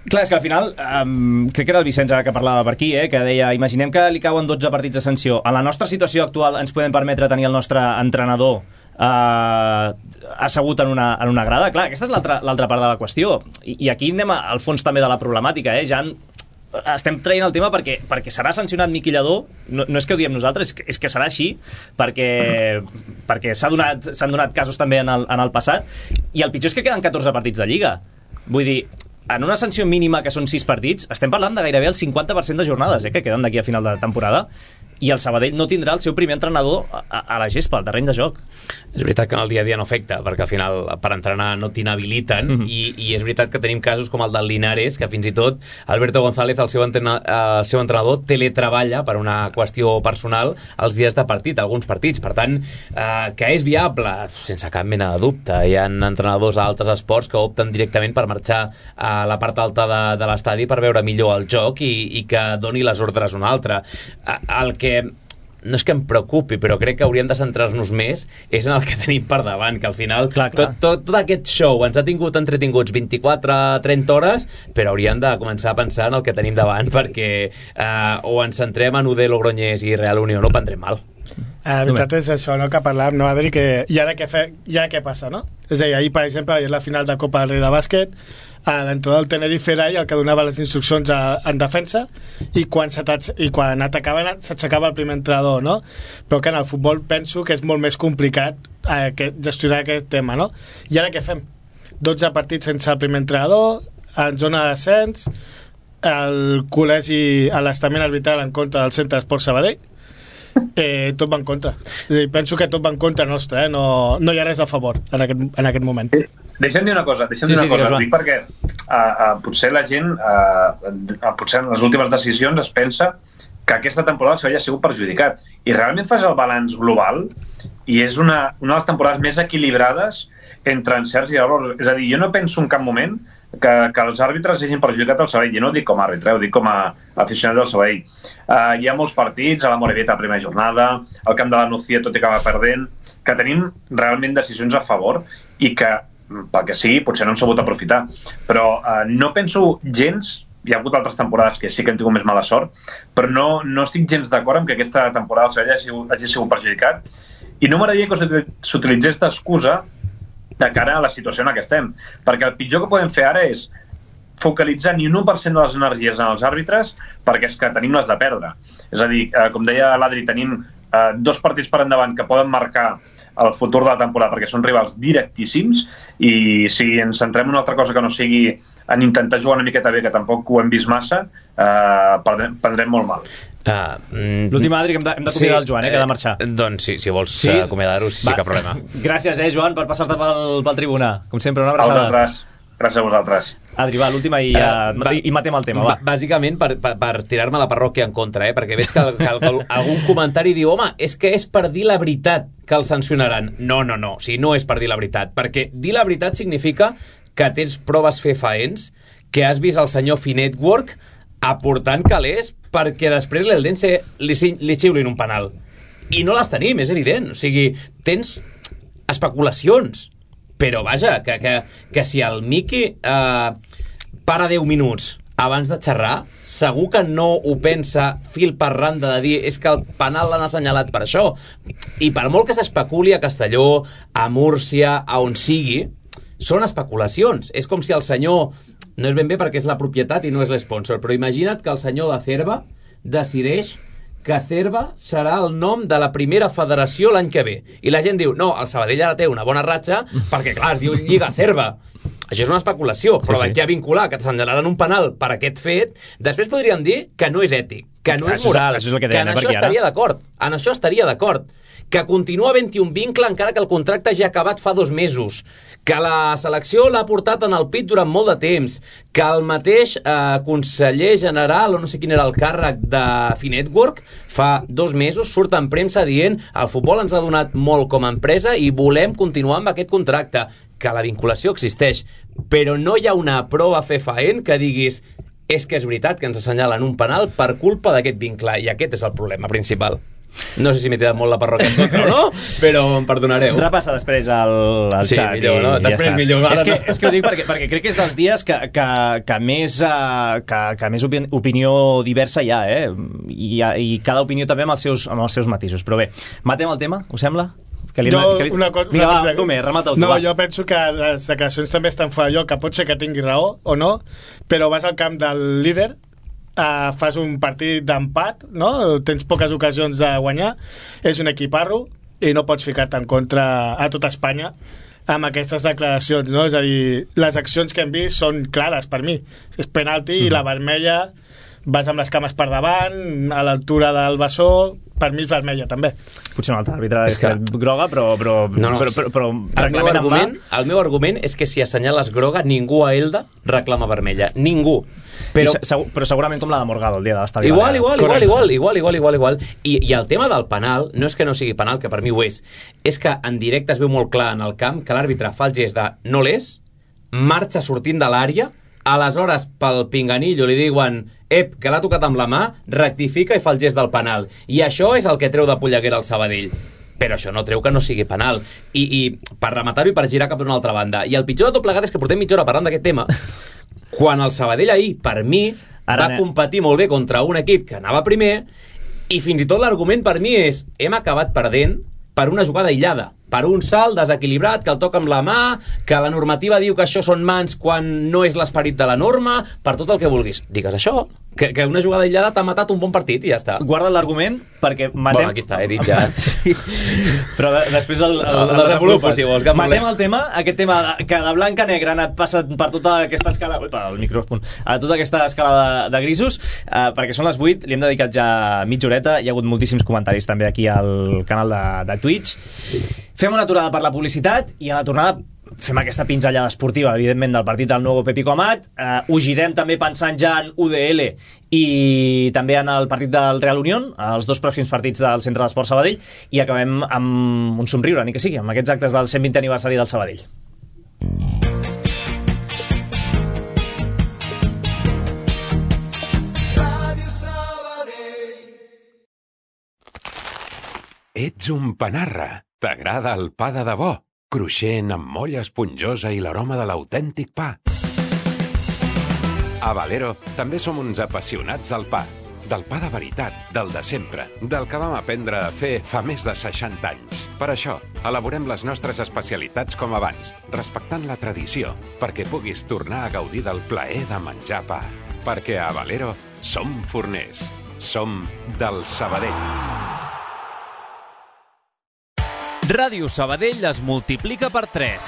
Clar, és que al final, um, crec que era el Vicenç que parlava per aquí, eh, que deia, imaginem que li cauen dotze partits de sanció. En la nostra situació actual ens podem permetre tenir el nostre entrenador uh, assegut en una, en una grada? Clar, aquesta és l'altra l'altra part de la qüestió. I, I aquí anem al fons també de la problemàtica, eh, ja en estem traient el tema perquè, perquè serà sancionat Miqui Lladó, no, no és que ho diem nosaltres, és que, és que serà així, perquè, perquè s'ha donat, s'han donat casos també en el, en el passat, i el pitjor és que queden catorze partits de Lliga. Vull dir, en una sanció mínima que són sis partits, estem parlant de gairebé el cinquanta per cent de jornades eh, que queden d'aquí a final de temporada, i el Sabadell no tindrà el seu primer entrenador a, a la gespa, al terreny de joc. És veritat que en el dia a dia no afecta, perquè al final per entrenar no t'inhabiliten, mm -hmm. i, i és veritat que tenim casos com el del Linares, que fins i tot Alberto González, el seu, entrena, el seu entrenador, teletreballa per una qüestió personal els dies de partit, alguns partits. Per tant, eh, que és viable, sense cap mena de dubte. Hi ha entrenadors a altres esports que opten directament per marxar a la part alta de, de l'estadi per veure millor el joc i, i que doni les ordres un altre. El que no és que em preocupi, però crec que hauríem de centrar-nos més és en el que tenim per davant, que al final clar, clar. Tot, tot, tot aquest show ens ha tingut entretinguts vint-i-quatre a trenta hores, però hauríem de començar a pensar en el que tenim davant, perquè eh, o ens centrem en U D Logroñés i Real Unió, no prendrem mal. La veritat és això, no?, que parlàvem, no, Adri, que i ara què, fe, i ara què passa, no? És a dir, ahir, per exemple, és la final de Copa del Rei de bàsquet, a l'entrada del Tenerife era el que donava les instruccions a, en defensa, i quan, i quan atacaven s'aixecava el primer entrenador, no? Però que en el futbol penso que és molt més complicat eh, que gestionar aquest tema, no? I ara què fem? dotze partits sense el primer entrenador, en zona de descens, el col·legi, l'estament arbitral en contra del Centre d'Esport Sabadell, eh, tot va en contra. I penso que tot va en contra nostra, eh? no, no hi ha res a favor en aquest, en aquest moment. Deixa'm dir una cosa, deixa'm sí, dir una sí, cosa, dic perquè uh, uh, potser la gent, uh, uh, potser en les últimes decisions es pensa que aquesta temporada s'havia sigut perjudicat. I realment fas el balanç global i és una, una de les temporades més equilibrades entre encerts i errors. És a dir, jo no penso en cap moment que, que els àrbitres hagin perjudicat el Sabadell. Jo no ho dic com a àrbitre, ho dic com a aficionat del Sabadell. Uh, hi ha molts partits, a la Morevita a primera jornada, al camp de la Nucía tot i que va perdent, que tenim realment decisions a favor i que, pel que sigui, potser no hem sabut aprofitar. Però uh, no penso gens, hi ha hagut altres temporades que sí que hem tingut més mala sort, però no, no estic gens d'acord amb que aquesta temporada el Sabadell hagi, hagi sigut perjudicat, i no m'agradaria que s'utilitzés d'excusa de cara a la situació en què estem, perquè el pitjor que podem fer ara és focalitzar ni un u per cent de les energies en els àrbitres, perquè és que tenim les de perdre. És a dir, eh, com deia l'Adri, tenim eh, dos partits per endavant que poden marcar el futur de la temporada perquè són rivals directíssims, i si ens centrem en una altra cosa que no sigui en intentar jugar una miqueta bé, que tampoc ho hem vist massa, eh, prendrem, prendrem molt mal. Uh, mm, L'última, Adri, que hem d'acomiadar sí, el Joan, eh, que ha de marxar. Eh, doncs sí, si vols sí? acomiadar-ho, sí, sí, cap problema. Gràcies, eh, Joan, per passar-te pel, pel tribuna. Com sempre, una abraçada. A vosaltres. Gràcies a vosaltres. Adri, va, l'última i, uh, uh, i, i matem el tema, va. Bàsicament per, per, per tirar-me la parròquia en contra, eh? Perquè veig que, que, que algun comentari diu, home, és que és per dir la veritat que el sancionaran. No, no, no, o sigui, no és per dir la veritat, perquè dir la veritat significa que tens proves fefaents, que has vist el senyor Finetwork aportant calés perquè després l'Eldense li, li xiulin un penal. I no les tenim, és evident. O sigui, tens especulacions. Però vaja, que, que, que si el Miqui eh, para deu minuts abans de xerrar, segur que no ho pensa fil per randa de dir és que el penal l'han assenyalat per això. I per molt que s'especuli a Castelló, a Múrcia, a on sigui, són especulacions. És com si el senyor, no és ben bé perquè és la propietat i no és l'esponsor, però imagina't que el senyor de Cerva decideix que Cerva serà el nom de la primera federació l'any que ve. I la gent diu, no, el Sabadell ara té una bona ratxa perquè, clar, es diu Lliga Cerva. Això és una especulació, però sí, sí. D'aquí a vincular que t'assenyalaran un penal per aquest fet, després podrien dir que no és ètic, que no és això moral, és, això és que, que en això estaria d'acord. En això estaria d'acord. Que continua havent-hi un vincle encara que el contracte ja ha acabat fa dos mesos, que la selecció l'ha portat en el pit durant molt de temps, que el mateix eh, conseller general, o no sé quin era el càrrec de Finetwork, fa dos mesos surt en premsa dient el futbol ens ha donat molt com a empresa i volem continuar amb aquest contracte, que la vinculació existeix, però no hi ha una prova fefaent que diguis és que és veritat que ens assenyalen un penal per culpa d'aquest vincle, i aquest és el problema principal. No sé si m'he tirat molt la parròquia en contra o no, però em perdonareu. Repassa després el, el sí, xat millor, no? i Després ja millor. És que, és que ho dic perquè, perquè crec que és dels dies que, que, que més, uh, que, que més opi opinió diversa hi ha, eh? I, i cada opinió també amb els seus, amb els seus matisos. Però bé, matem el tema, us sembla? Que li, jo, que li... una cosa... Vinga, una... va, Romer, remata-ho tu, No, va. jo penso que les declaracions també estan fora de lloc, que pot ser que tingui raó o no, però vas al camp del líder, Uh, fas un partit d'empat, no? Tens poques ocasions de guanyar, és un equiparro i no pots ficar-te en contra a tota Espanya amb aquestes declaracions, no? És a dir, les accions que hem vist són clares per mi, és penalti, mm. i la vermella vas amb les cames per davant a l'altura del bessó, per mi és vermella, també. Potser un altre àrbitre és, És que... que... groga, però... però, No, no, però, sí. però, però el, meu argument, el meu argument és que si assenyales groga, ningú a Elda reclama vermella. Ningú. Però... Però, Segur, però segurament com la de Morgado, el dia de l'estadi. igual, igual, igual, Correcte. igual, igual, igual, igual, igual. I, I el tema del penal, no és que no sigui penal, que per mi ho és, és que en directe es veu molt clar en el camp que l'àrbitre fa el gest de no l'és, marxa sortint de l'àrea, aleshores pel pinganillo li diuen ep, que l'ha tocat amb la mà, rectifica i fa el gest del penal. I això és el que treu de polleguera el Sabadell. Però això no treu que no sigui penal. I, i per rematar-ho i per girar cap d'una altra banda. I el pitjor de tot plegat és que portem mitja hora parlant d'aquest tema, quan el Sabadell ahir, per mi, Ara va ne... competir molt bé contra un equip que anava primer, i fins i tot l'argument per mi és hem acabat perdent per una jugada aïllada, per un salt desequilibrat que el toca amb la mà, que la normativa diu que això són mans quan no és l'esperit de la norma, per tot el que vulguis. Digues això, que, que una jugada aïllada t'ha matat un bon partit i ja està. Guarda l'argument perquè matem... Bueno, aquí està, he dit ja. Sí. Però de, després el, el, El el desenvolupo, si vols, que matem molest. el tema, aquest tema que de blanc a negre ha anat passat per tota aquesta escala... Uipa, el micròfon. A tota aquesta escala de, de grisos, eh, perquè són les vuit, li hem dedicat ja mitja horeta, hi ha hagut moltíssims comentaris també aquí al canal de, de Twitch. Fem una aturada per la publicitat i a la tornada fem aquesta pinzellada esportiva, evidentment, del partit del nou Pepico Amat. Eh, ho girem també pensant ja en U D L i també en el partit del Real Unión, els dos pròxims partits del Centre d'Esport Sabadell, i acabem amb un somriure, ni que sigui, amb aquests actes del cent vintè aniversari del Sabadell. Ets un panarra. T'agrada el pa de debò, cruixent amb molla esponjosa i l'aroma de l'autèntic pa. A Valero també som uns apassionats del pa. Del pa de veritat, del de sempre, del que vam aprendre a fer fa més de seixanta anys. Per això, elaborem les nostres especialitats com abans, respectant la tradició, perquè puguis tornar a gaudir del plaer de menjar pa. Perquè a Valero som forners. Som del Sabadell. Ràdio Sabadell es multiplica per tres.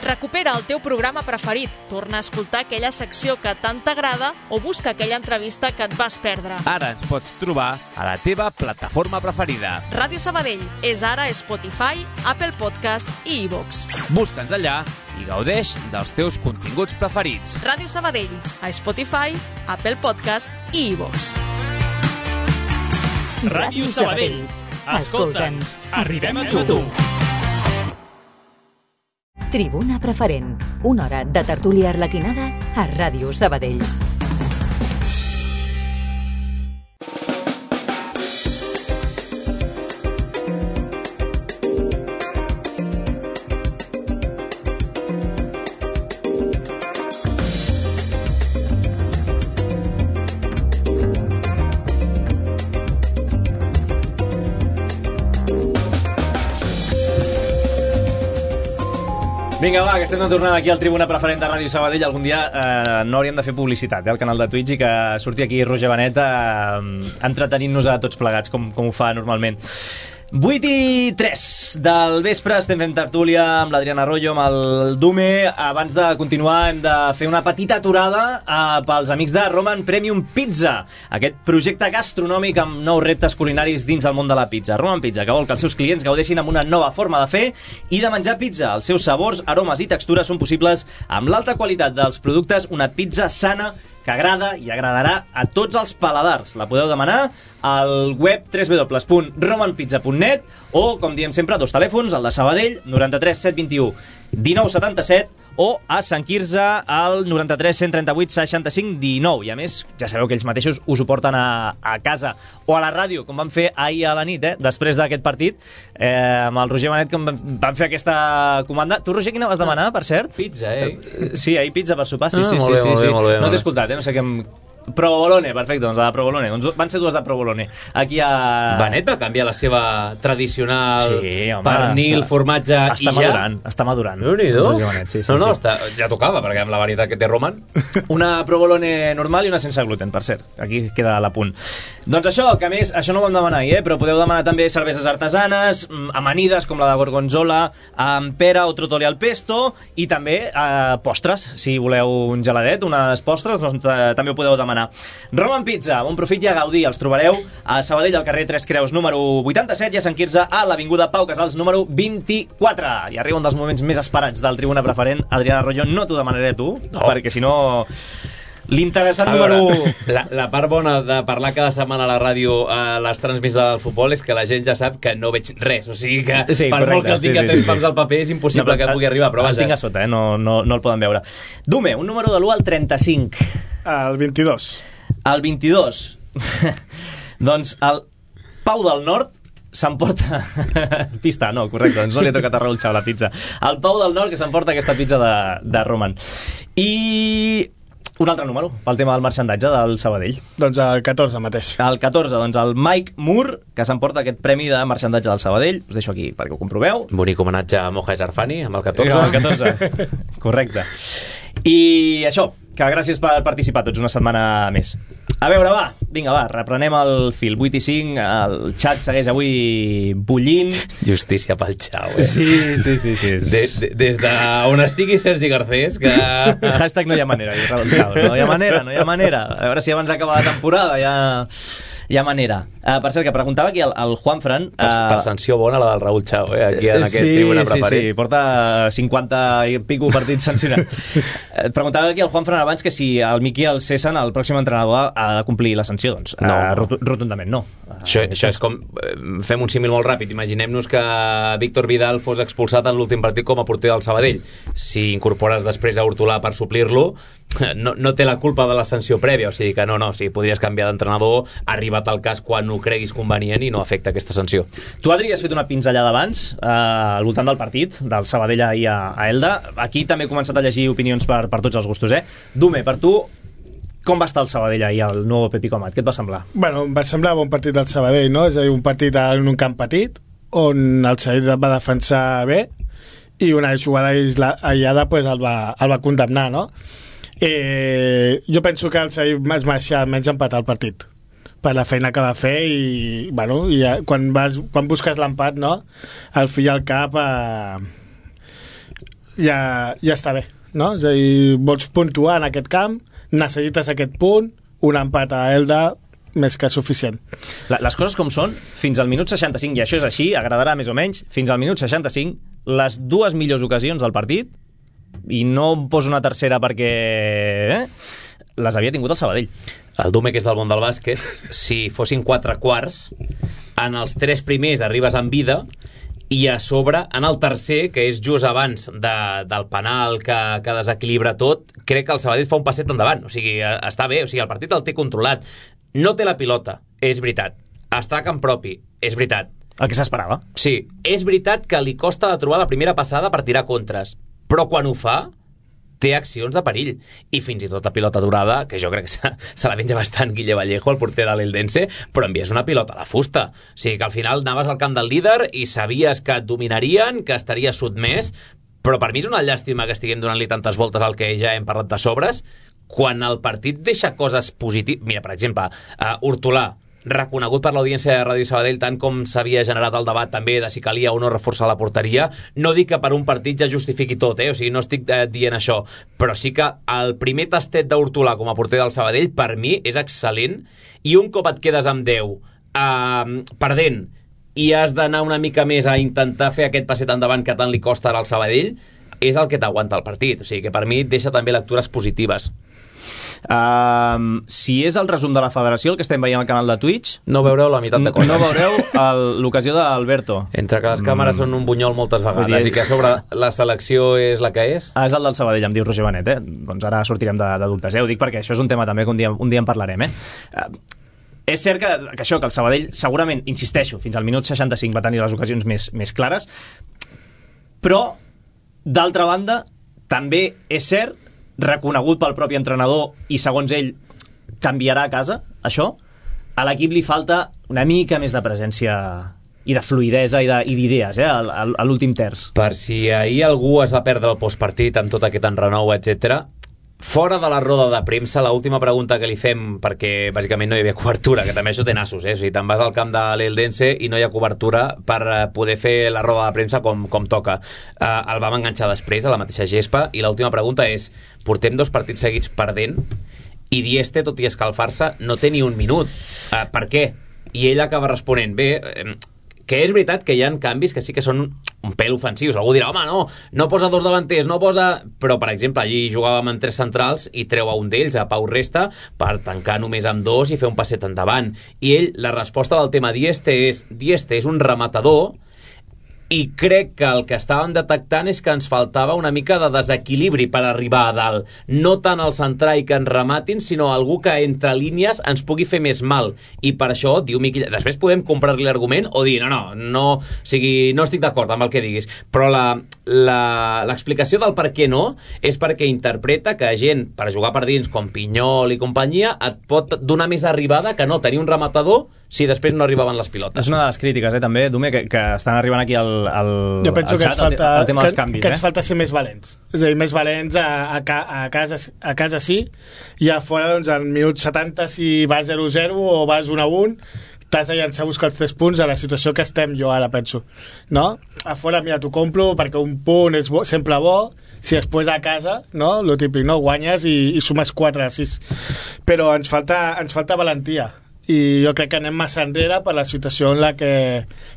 Recupera el teu programa preferit, torna a escoltar aquella secció que tant t'agrada o busca aquella entrevista que et vas perdre. Ara ens pots trobar a la teva plataforma preferida. Ràdio Sabadell és ara Spotify, Apple Podcast i iVoox. Busca'ns allà i gaudeix dels teus continguts preferits. Ràdio Sabadell, a Spotify, Apple Podcast i iVoox. Ràdio Sabadell. Escolta'ns, arribem a tu. Tribuna Preferent, una hora de tertúlia arlequinada a Ràdio Sabadell. Vinga, va, que estem de tornada aquí al Tribuna Preferent de Ràdio Sabadell. Algun dia eh, no hauríem de fer publicitat eh, al canal de Twitch i que surti aquí Roger Benet eh, entretenint-nos a tots plegats, com, com ho fa normalment. vuit i tres del vespre, estem fent tertúlia amb l'Adriana Arroyo, amb el Dume. Abans de continuar hem de fer una petita aturada eh, pels amics de Roman Premium Pizza, aquest projecte gastronòmic amb nous reptes culinaris dins del món de la pizza. Roman Pizza, que vol que els seus clients gaudeixin amb una nova forma de fer i de menjar pizza. Els seus sabors, aromes i textures són possibles amb l'alta qualitat dels productes, una pizza sana que agrada i agradarà a tots els paladars. La podeu demanar al web w w w punt roman pizza punt net o, com diem sempre, dos telèfons, el de Sabadell, noranta-tres set vint-i-u dinou setanta-set, o a Sant Quirze al noranta-tres cent trenta-vuit seixanta-cinc dinou. I a més, ja sabeu que ells mateixos us ho porten a, a casa o a la ràdio, com van fer ahir a la nit, eh? Després d'aquest partit, eh, amb el Roger Benet, com van, van fer aquesta comanda. Tu, Roger, quina vas demanar, per cert? Pizza, eh? Sí, ahir pizza per sopar, sí, Ah, sí, molt sí, bé, sí, molt sí. bé, molt bé, No molt t'he bé. escoltat, eh? No sé què em... Provolone, perfecte, doncs la de Provolone. Doncs van ser dues de Provolone. Aquí a... Benet va canviar la seva tradicional Sí, home, pernil, està- formatge està i ja... madurant, està madurant. Déu-n'hi-do. Roger Benet, sí, sí, no, no, sí. està, ja tocava, perquè amb la varietat que té Roman... Una provolone normal i una sense gluten, per cert. Aquí queda l'apunt. Doncs això, que a més, això no ho vam demanar ahir, eh? Però podeu demanar també cerveses artesanes, mm, amanides, com la de gorgonzola, amb pera o trotoli al pesto, i també eh, postres, si voleu un geladet, unes postres, doncs, eh, també ho podeu demanar. setmana. Roman Pizza, bon profit i a gaudir. Els trobareu a Sabadell, al carrer Tres Creus, número vuitanta-set, i a Sant Quirze, a l'avinguda Pau Casals, número vint-i-quatre. I arriba un dels moments més esperats del Tribuna Preferent. Adrià Arroyo, no t'ho demanaré a tu, no. perquè si no... L'interessant número u... La, la part bona de parlar cada setmana a la ràdio a les transmissions del futbol és que la gent ja sap que no veig res, o sigui que sí, per correcte, molt que el tinc sí, a temps sí, sí. al paper és impossible no, que pugui arribar, però vaja. El tinc a sota, eh? no, no, no el poden veure. Dume, un número de l'u al trenta-cinc. El vint-i-dos. El vint-i-dos. Doncs el Pau del Nord s'emporta... Pista, no, correcte, doncs no li ha tocat a Raül Chao la pizza. El Pau del Nord que s'emporta aquesta pizza de, de Roman. I... un altre número, pel tema del marxandatge del Sabadell. Doncs el catorze mateix. El catorze, doncs el Mike Moore, que s'emporta aquest premi de marxandatge del Sabadell. Us deixo aquí perquè ho comproveu. Bonic homenatge a Moja Jarfani, amb el catorze. Amb el catorze, correcte. I això, que gràcies per participar tots una setmana més. A veure, va, vinga, va, reprenem el fil. vuit i cinc, el xat segueix avui bullint. Justícia pel Xau, eh? Sí, sí, sí, sí. De, de, des d'on estigui Sergi Garcés, que... Hashtag no hi ha manera, no hi ha manera, no hi ha manera. A veure si abans d'acaba la temporada ja... hi ha manera. Uh, per cert, que preguntava aquí el, el Juanfran... Uh, per, per sanció bona la del Raül Chao, eh? Aquí en aquest sí, Tribuna Preferit. Sí, sí, porta cinquanta i pico partits sancionats. uh, preguntava aquí el Juanfran abans que si el Miqui el cessen, el pròxim entrenador ha de complir la sanció. Doncs no, uh, rot rotundament no. Uh, això, això és com... Fem un símil molt ràpid. Imaginem-nos que Víctor Vidal fos expulsat en l'últim partit com a porter del Sabadell. Si incorpores després a Hortolà per suplir-lo, no, no té la culpa de la sanció prèvia, o sigui que no, no, o sigui, podries canviar d'entrenador, arribat al cas quan ho creguis convenient i no afecta aquesta sanció. Tu, Adri, has fet una pinzellada abans eh, al voltant del partit del Sabadell ahir a, a Elda. Aquí també he començat a llegir opinions per, per tots els gustos, eh? Dume, per tu, com va estar el Sabadell ahir al nou Pepi Comat? Què et va semblar? Bueno, em va semblar bon partit del Sabadell, no? És a dir, un partit en un camp petit on el Sabadell va defensar bé i una jugada aïllada pues, el, va, el va condemnar, no? Eh, jo penso que el Sabadell es mereixia almenys empatar el partit per la feina que va fer i, bueno, i ja, quan, vas, quan busques l'empat, no? Al fi i al cap eh, ja, ja està bé, no? És a dir, vols puntuar en aquest camp, necessites aquest punt, un empat a Elda més que suficient. La, les coses com són, fins al minut seixanta-cinc, i això és així, agradarà més o menys, fins al minut seixanta-cinc, les dues millors ocasions del partit, i no em poso una tercera perquè eh, les havia tingut el Sabadell. El Dume, que és del món del bàsquet, si fossin quatre quarts, en els tres primers arribes en vida i a sobre, en el tercer, que és just abans de, del penal que, que desequilibra tot, crec que el Sabadell fa un passet endavant. O sigui, està bé, o sigui, el partit el té controlat. No té la pilota, és veritat. Està a camp propi, és veritat. El que s'esperava. Sí, és veritat que li costa de trobar la primera passada per tirar contres, però quan ho fa té accions de perill, i fins i tot la pilota durada, que jo crec que se, se la menja bastant Guille Vallejo, el porter de l'Eldense, però envies una pilota a la fusta. O sigui que al final anaves al camp del líder i sabies que et dominarien, que estaries sotmès, però per mi és una llàstima que estiguem donant-li tantes voltes al que ja hem parlat de sobres, quan el partit deixa coses positives. Mira, per exemple, uh, Hortolà, reconegut per l'audiència de Ràdio Sabadell, tant com s'havia generat el debat també de si calia o no reforçar la porteria. No dic que per un partit ja justifiqui tot, eh? O sigui, no estic eh, dient això, però sí que el primer tastet d'Hortolà com a porter del Sabadell per mi és excel·lent, i un cop et quedes amb deu eh, perdent i has d'anar una mica més a intentar fer aquest passet endavant que tant li costa ara al Sabadell, és el que t'aguanta el partit. O sigui que per mi deixa també lectures positives. Uh, si és el resum de la federació el que estem veient al canal de Twitch, no veureu la meitat de coses. No veureu l'ocasió d'Alberto. Entre que les càmeres mm. són un bunyol moltes vegades dir... i que a sobre la selecció és la que és. Ah, és el del Sabadell, em diu Roger Benet, eh? Doncs ara sortirem de, de dubtes, eh? Ho dic perquè això és un tema també que un dia, un dia en parlarem, eh? Uh, és cert que, que això, que el Sabadell segurament, insisteixo, fins al minut seixanta-cinc va tenir les ocasions més, més clares, però d'altra banda també és cert, reconegut pel propi entrenador, i segons ell canviarà a casa això, a l'equip li falta una mica més de presència i de fluidesa i d'idees, eh, a, a l'últim terç. Per si ahir algú es va perdre el postpartit amb tot aquest enrenou, etcètera, fora de la roda de premsa, l'última pregunta que li fem, perquè bàsicament no hi havia cobertura, que també això té nassos, eh? O sigui, te'n vas al camp de l'Eldense i no hi ha cobertura per poder fer la roda de premsa com, com toca. Uh, el vam enganxar després a la mateixa gespa, i l'última pregunta és: portem dos partits seguits perdent i Dieste, tot i escalfar-se, no té ni un minut. Uh, per què? I ell acaba responent, bé, eh, que és veritat que hi ha canvis que sí que són un pèl ofensius. Algú dirà, home, no, no posa dos davanters, no posa... Però, per exemple, allí jugàvem amb tres centrals i treu a un d'ells, a Pau Resta, per tancar només amb dos i fer un passet endavant. I ell, la resposta del tema Dieste és Dieste és un rematador i crec que el que estàvem detectant és que ens faltava una mica de desequilibri per arribar a dalt. No tant el centrar i que ens rematin, sinó algú que entre línies ens pugui fer més mal. I per això, diu Miqui... Després podem comprar-li l'argument o dir, no, no, no, o sigui, no estic d'acord amb el que diguis. Però l'explicació del per què no és perquè interpreta que gent per jugar per dins com Pinyol i companyia et pot donar més arribada que no tenir un rematador si després no arribaven les pilotes. És una de les crítiques, eh, també, Dume, que, que estan arribant aquí al, al, jo penso al que xat, ens falta, el, el tema que, dels canvis. Que eh? ens falta ser més valents. És a dir, més valents a, a, a, casa, a casa sí, i a fora, doncs, al minut setanta, si vas zero zero o vas un a un, t'has de llançar a buscar els tres punts a la situació que estem jo ara, penso. No? A fora, mira, t'ho compro perquè un punt és bo, sempre bo, si després a casa, no? Lo típic, no? Guanyes i, i sumes quatre a sis. Però ens falta, ens falta valentia. I jo crec que anem massa enrere per la situació en la que,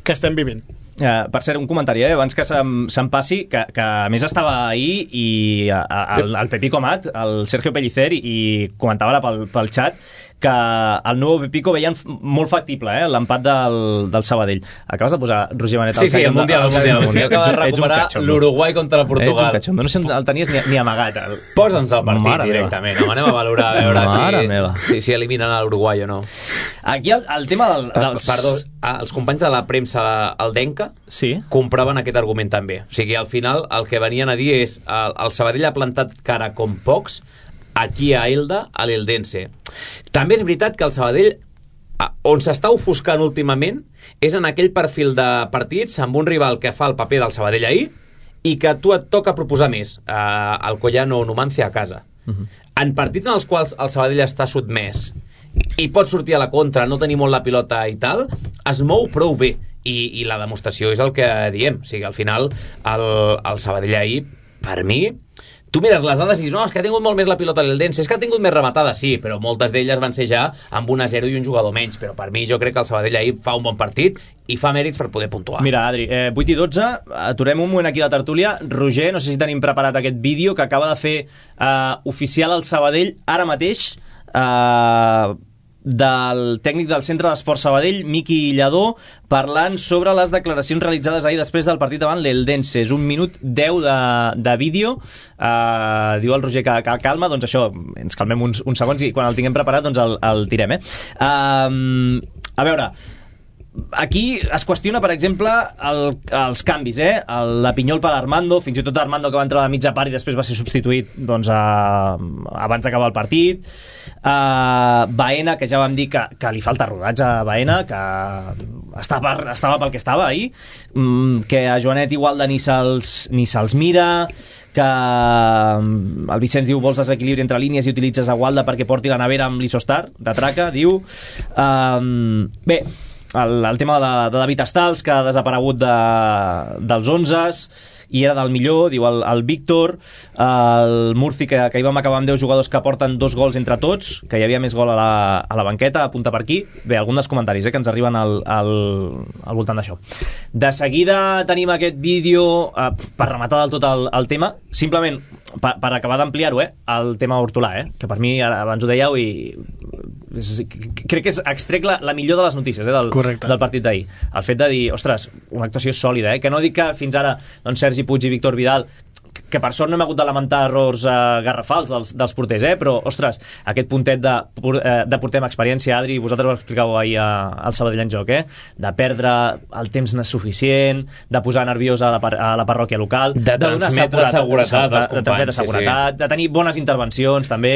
que estem vivint. Uh, per cert, un comentari, eh? Abans que se'm, se'm passi, que, que a més estava ahir i a, a, el, el Pepico Mat, el Sergio Pellicer, i, i comentava ara pel, pel xat que el nou Pepico veien molt factible, eh? L'empat del, del Sabadell. Acabes de posar Roger Benet al sí, sí, el Mundial, el Mundial. El Mundial. Acaba de recuperar l'Uruguai contra Portugal. Ets un catxondo, no sé on el tenies ni, ni amagat. El... Posa'ns el partit Mare directament, no? Anem a valorar a veure si, si, si eliminen l'Uruguai o no. Aquí el, el tema del, dels... Perdó, els companys de la premsa, el Denca, sí? compraven aquest argument també. O sigui, al final el que venien a dir és el, el Sabadell ha plantat cara com pocs aquí a Elda, a l'Eldense. També és veritat que el Sabadell, on s'està ofuscant últimament, és en aquell perfil de partits amb un rival que fa el paper del Sabadell ahir i que a tu et toca proposar més, eh, el Collano o Numancia a casa. Uh-huh. En partits en els quals el Sabadell està sotmès i pot sortir a la contra, no tenir molt la pilota i tal, es mou prou bé. I, i la demostració és el que diem. O sigui, al final, el, el Sabadell ahir, per mi... Tu mires les dades i dius, no, és que ha tingut molt més la pilota l'Eldense, és que ha tingut més rematada, sí, però moltes d'elles van ser ja amb un a zero i un jugador menys, però per mi jo crec que el Sabadell ahir fa un bon partit i fa mèrits per poder puntuar. Mira, Adri, eh, vuit i dotze, aturem un moment aquí la tertúlia. Roger, no sé si tenim preparat aquest vídeo que acaba de fer eh, oficial el Sabadell ara mateix, eh, del tècnic del Centre d'Esport Sabadell, Miqui Lladó, parlant sobre les declaracions realitzades ahir després del partit davant l'Eldense. És un minut deu de, de vídeo. Uh, diu el Roger que, que calma, doncs això, ens calmem uns, uns segons i quan el tinguem preparat doncs el, el tirem, eh? Uh, a veure, aquí es qüestiona, per exemple, el, els canvis, eh? El, la Pinyol per Armando, fins i tot Armando que va entrar a la mitja part i després va ser substituït doncs, a, abans d'acabar el partit. Uh, Baena, que ja vam dir que, que li falta rodatge a Baena, que estava, estava pel que estava ahir, mm, que a Joanet igual de ni se'ls ni se'ls mira, que el Vicenç diu vols desequilibri entre línies i utilitzes a Gualda perquè porti la nevera amb l'Isostar de traca, diu. Um, bé, El, el tema de, de David Estals, que ha desaparegut de, dels onzes i era del millor, diu el, el Víctor. El Murci, que, que hi vam acabar amb deu jugadors que porten dos gols entre tots, que hi havia més gol a la, a la banqueta, apunta per aquí. Bé, algun dels comentaris eh, que ens arriben al, al, al voltant d'això. De seguida tenim aquest vídeo eh, per rematar del tot el, el tema, simplement per, per acabar d'ampliar-ho, eh, el tema Hortolà, eh, que per mi, abans ho dèieu, i és, crec que és extrec la, la millor de les notícies eh, del, del partit d'ahir. El fet de dir, ostres, una actuació sòlida, eh? Que no dic que fins ara doncs, Sergi Puig i Víctor Vidal, que per sort no hem hagut de lamentar errors eh, garrafals dels, dels porters, eh? Però, ostres, aquest puntet de, eh, de porter amb experiència, Adri, vosaltres ho explicàveu ahir a, al Sabadell en joc, eh? De perdre el temps suficient, de posar nerviosa a la, par a la parròquia local, de, de transmetre seguretat, seguretat als companys, de, transmetre seguretat, sí, sí. De tenir bones intervencions, també.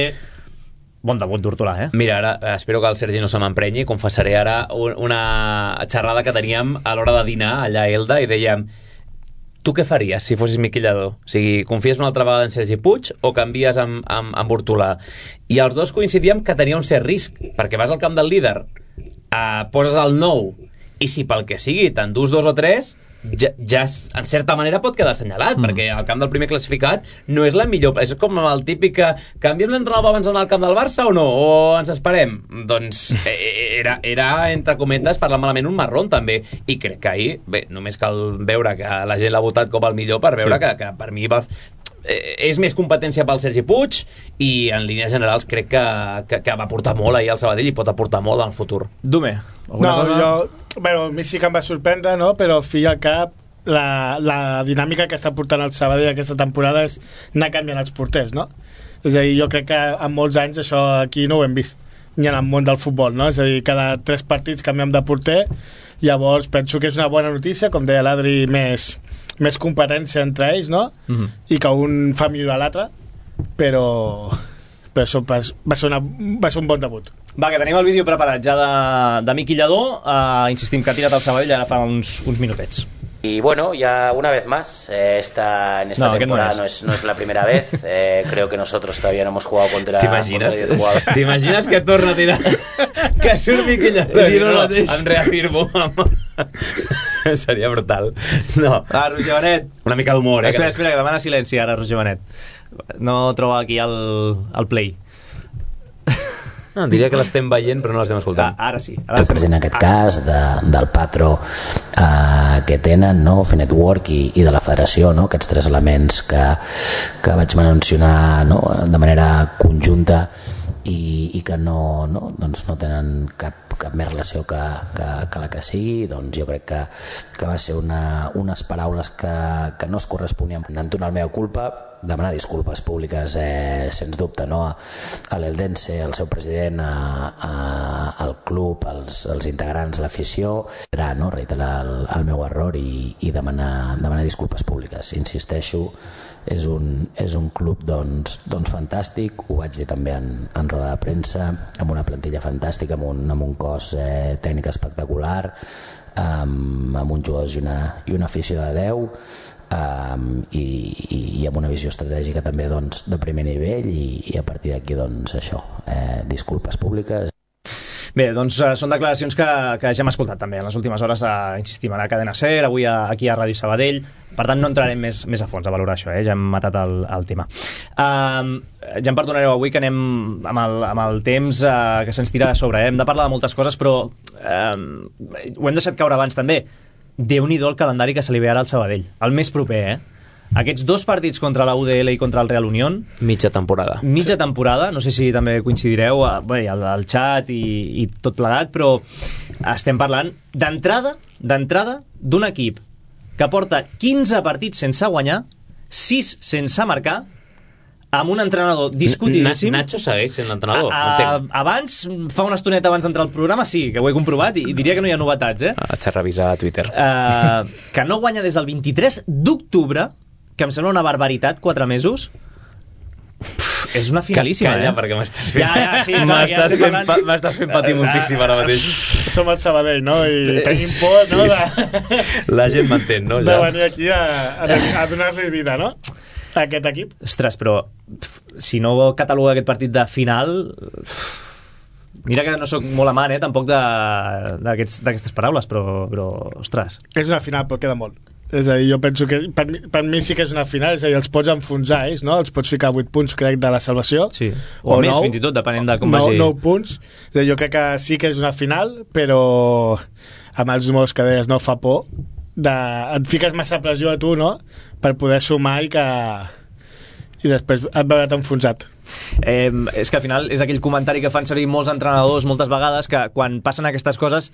Bon debut d'Hortolà, eh? Mira, ara espero que el Sergi no se m'emprenyi. Confessaré ara una xerrada que teníem a l'hora de dinar allà a Elda i dèiem, tu què faries si fossis Miqui Lladó? O sigui, confies una altra vegada en Sergi Puig o canvies amb, amb, amb Hortolà? I els dos coincidíem que tenia un cert risc, perquè vas al camp del líder, eh, poses el nou i si pel que sigui t'endús dos o tres, ja, ja en certa manera pot quedar assenyalat, mm. perquè el camp del primer classificat no és la millor, és com el típic que canviem l'entrenador abans d'anar al camp del Barça o no, o ens esperem? Doncs era, era entre cometes, parlar malament, un marrón també, i crec que ahir, bé, només cal veure que la gent l'ha votat com el millor per veure sí. que, que per mi va... és més competència pel Sergi Puig i en línies generals crec que, que, que va aportar molt ahir al Sabadell i pot aportar molt en el futur. Dume, alguna no, cosa? Jo, bueno, a mi sí que em va sorprendre, no? Però al fi i al cap la, la dinàmica que està portant el Sabadell aquesta temporada és anar canviant els porters, no? És a dir, jo crec que en molts anys això aquí no ho hem vist ni en el món del futbol, no? És a dir, cada tres partits canviem de porter, llavors penso que és una bona notícia, com deia l'Adri, més més competència entre ells, no? Uh-huh. I que un fa millorar l'altre, però però això va ser, una, va ser un bon debut. Va, que tenim el vídeo preparat ja de, de Miqui Lladó, uh, insistim que ha tirat el Sabadell ara fa uns, uns minutets. Y bueno, ya una vez más, eh, esta, en esta no, temporada no es. No, es, no es la primera vez. Eh, creo que nosotros todavía no hemos jugado contra... T'imagines? T'imagines que torna a tirar? Que surt Miqui Lladó i no, no, em reafirmo. Seria brutal. No. Ah, Roger Benet. Una mica d'humor, eh? Espera, espera, que demana silenci ara, Roger Benet. No troba aquí el, el play. No, diria que l'estem veient però no l'estem escoltant. Ah, ara sí. Ara en aquest cas de, del patró eh, que tenen, no? Fer Network i, i de la federació, no? Aquests tres elements que, que vaig mencionar, no? De manera conjunta i, i que no, no, doncs no tenen cap, cap més relació que, que, que la que sigui, doncs jo crec que, que va ser una, unes paraules que, que no es corresponien. Entonar la meva culpa, demanar disculpes públiques, eh, sens dubte, no? A l'Eldense, al seu president, a, a, al club, als, als integrants, l'afició, no? Reiterar el, el meu error i, i demanar, demanar disculpes públiques. Insisteixo, és un, és un club doncs, doncs fantàstic, ho vaig dir també en, en roda de premsa, amb una plantilla fantàstica, amb un, amb un cos eh, tècnic espectacular, amb, amb uns jugadors i una, i una afició de deu, Um, i, i, i amb una visió estratègica també doncs, de primer nivell i, i a partir d'aquí doncs això, eh, disculpes públiques. Bé, doncs uh, són declaracions que, que ja hem escoltat també en les últimes hores, uh, insistim, a la cadena SER, avui a, aquí a Ràdio Sabadell, per tant no entrarem més, més a fons a valorar això, eh? Ja hem matat el, el tema. Uh, ja em perdonareu avui que anem amb el, amb el temps uh, que se'ns tira de sobre, eh? Hem de parlar de moltes coses, però uh, ho hem deixat caure abans també. Déu-n'hi-do el calendari que se li ve ara al Sabadell, el més proper, eh? Aquests dos partits contra la U D L i contra el Real Unión, mitja temporada mitja temporada, no sé si també coincidireu bé, al, al xat i, i tot plegat, però estem parlant d'entrada d'entrada d'un equip que porta quinze partits sense guanyar, sis sense marcar, amb un entrenador discutidíssim. Nacho segueix sent l'entrenador. A, a, abans, fa una estoneta abans d'entrar al programa, sí, que ho he comprovat i, i diria que no hi ha novetats, eh? Vaig a revisar a Twitter. Uh, que no guanya des del vint-i-tres d'octubre, que em sembla una barbaritat, quatre mesos. Pff, és una finalíssima, Calla, eh? perquè m'estàs fent... Ja, ja, sí, m'estàs fent, pa, m'estàs fent patir moltíssim ara mateix. Som al Sabadell, no? I tenim por, no? De... La gent m'entén, no? Ja. De venir aquí a, a, a donar-li vida, no? A aquest equip. Ostres, però pff, si no cataloga aquest partit de final... Pff, mira que no sóc molt amant, eh, tampoc d'aquestes paraules, però, però, ostres. És una final, però queda molt. És a dir, jo penso que per mi, per mi sí que és una final, és a dir, els pots enfonsar ells, no? Els pots ficar a vuit punts, crec, de la salvació. Sí, o, o més, nou, fins i tot, depenent de com nou, vagi. nou punts. És a dir, jo crec que sí que és una final, però amb els números que deies no fa por. De, et fiques massa pressió a tu, no?, per poder sumar i que i després et veure enfonsat. Eh, és que al final és aquell comentari que fan servir molts entrenadors moltes vegades, que quan passen aquestes coses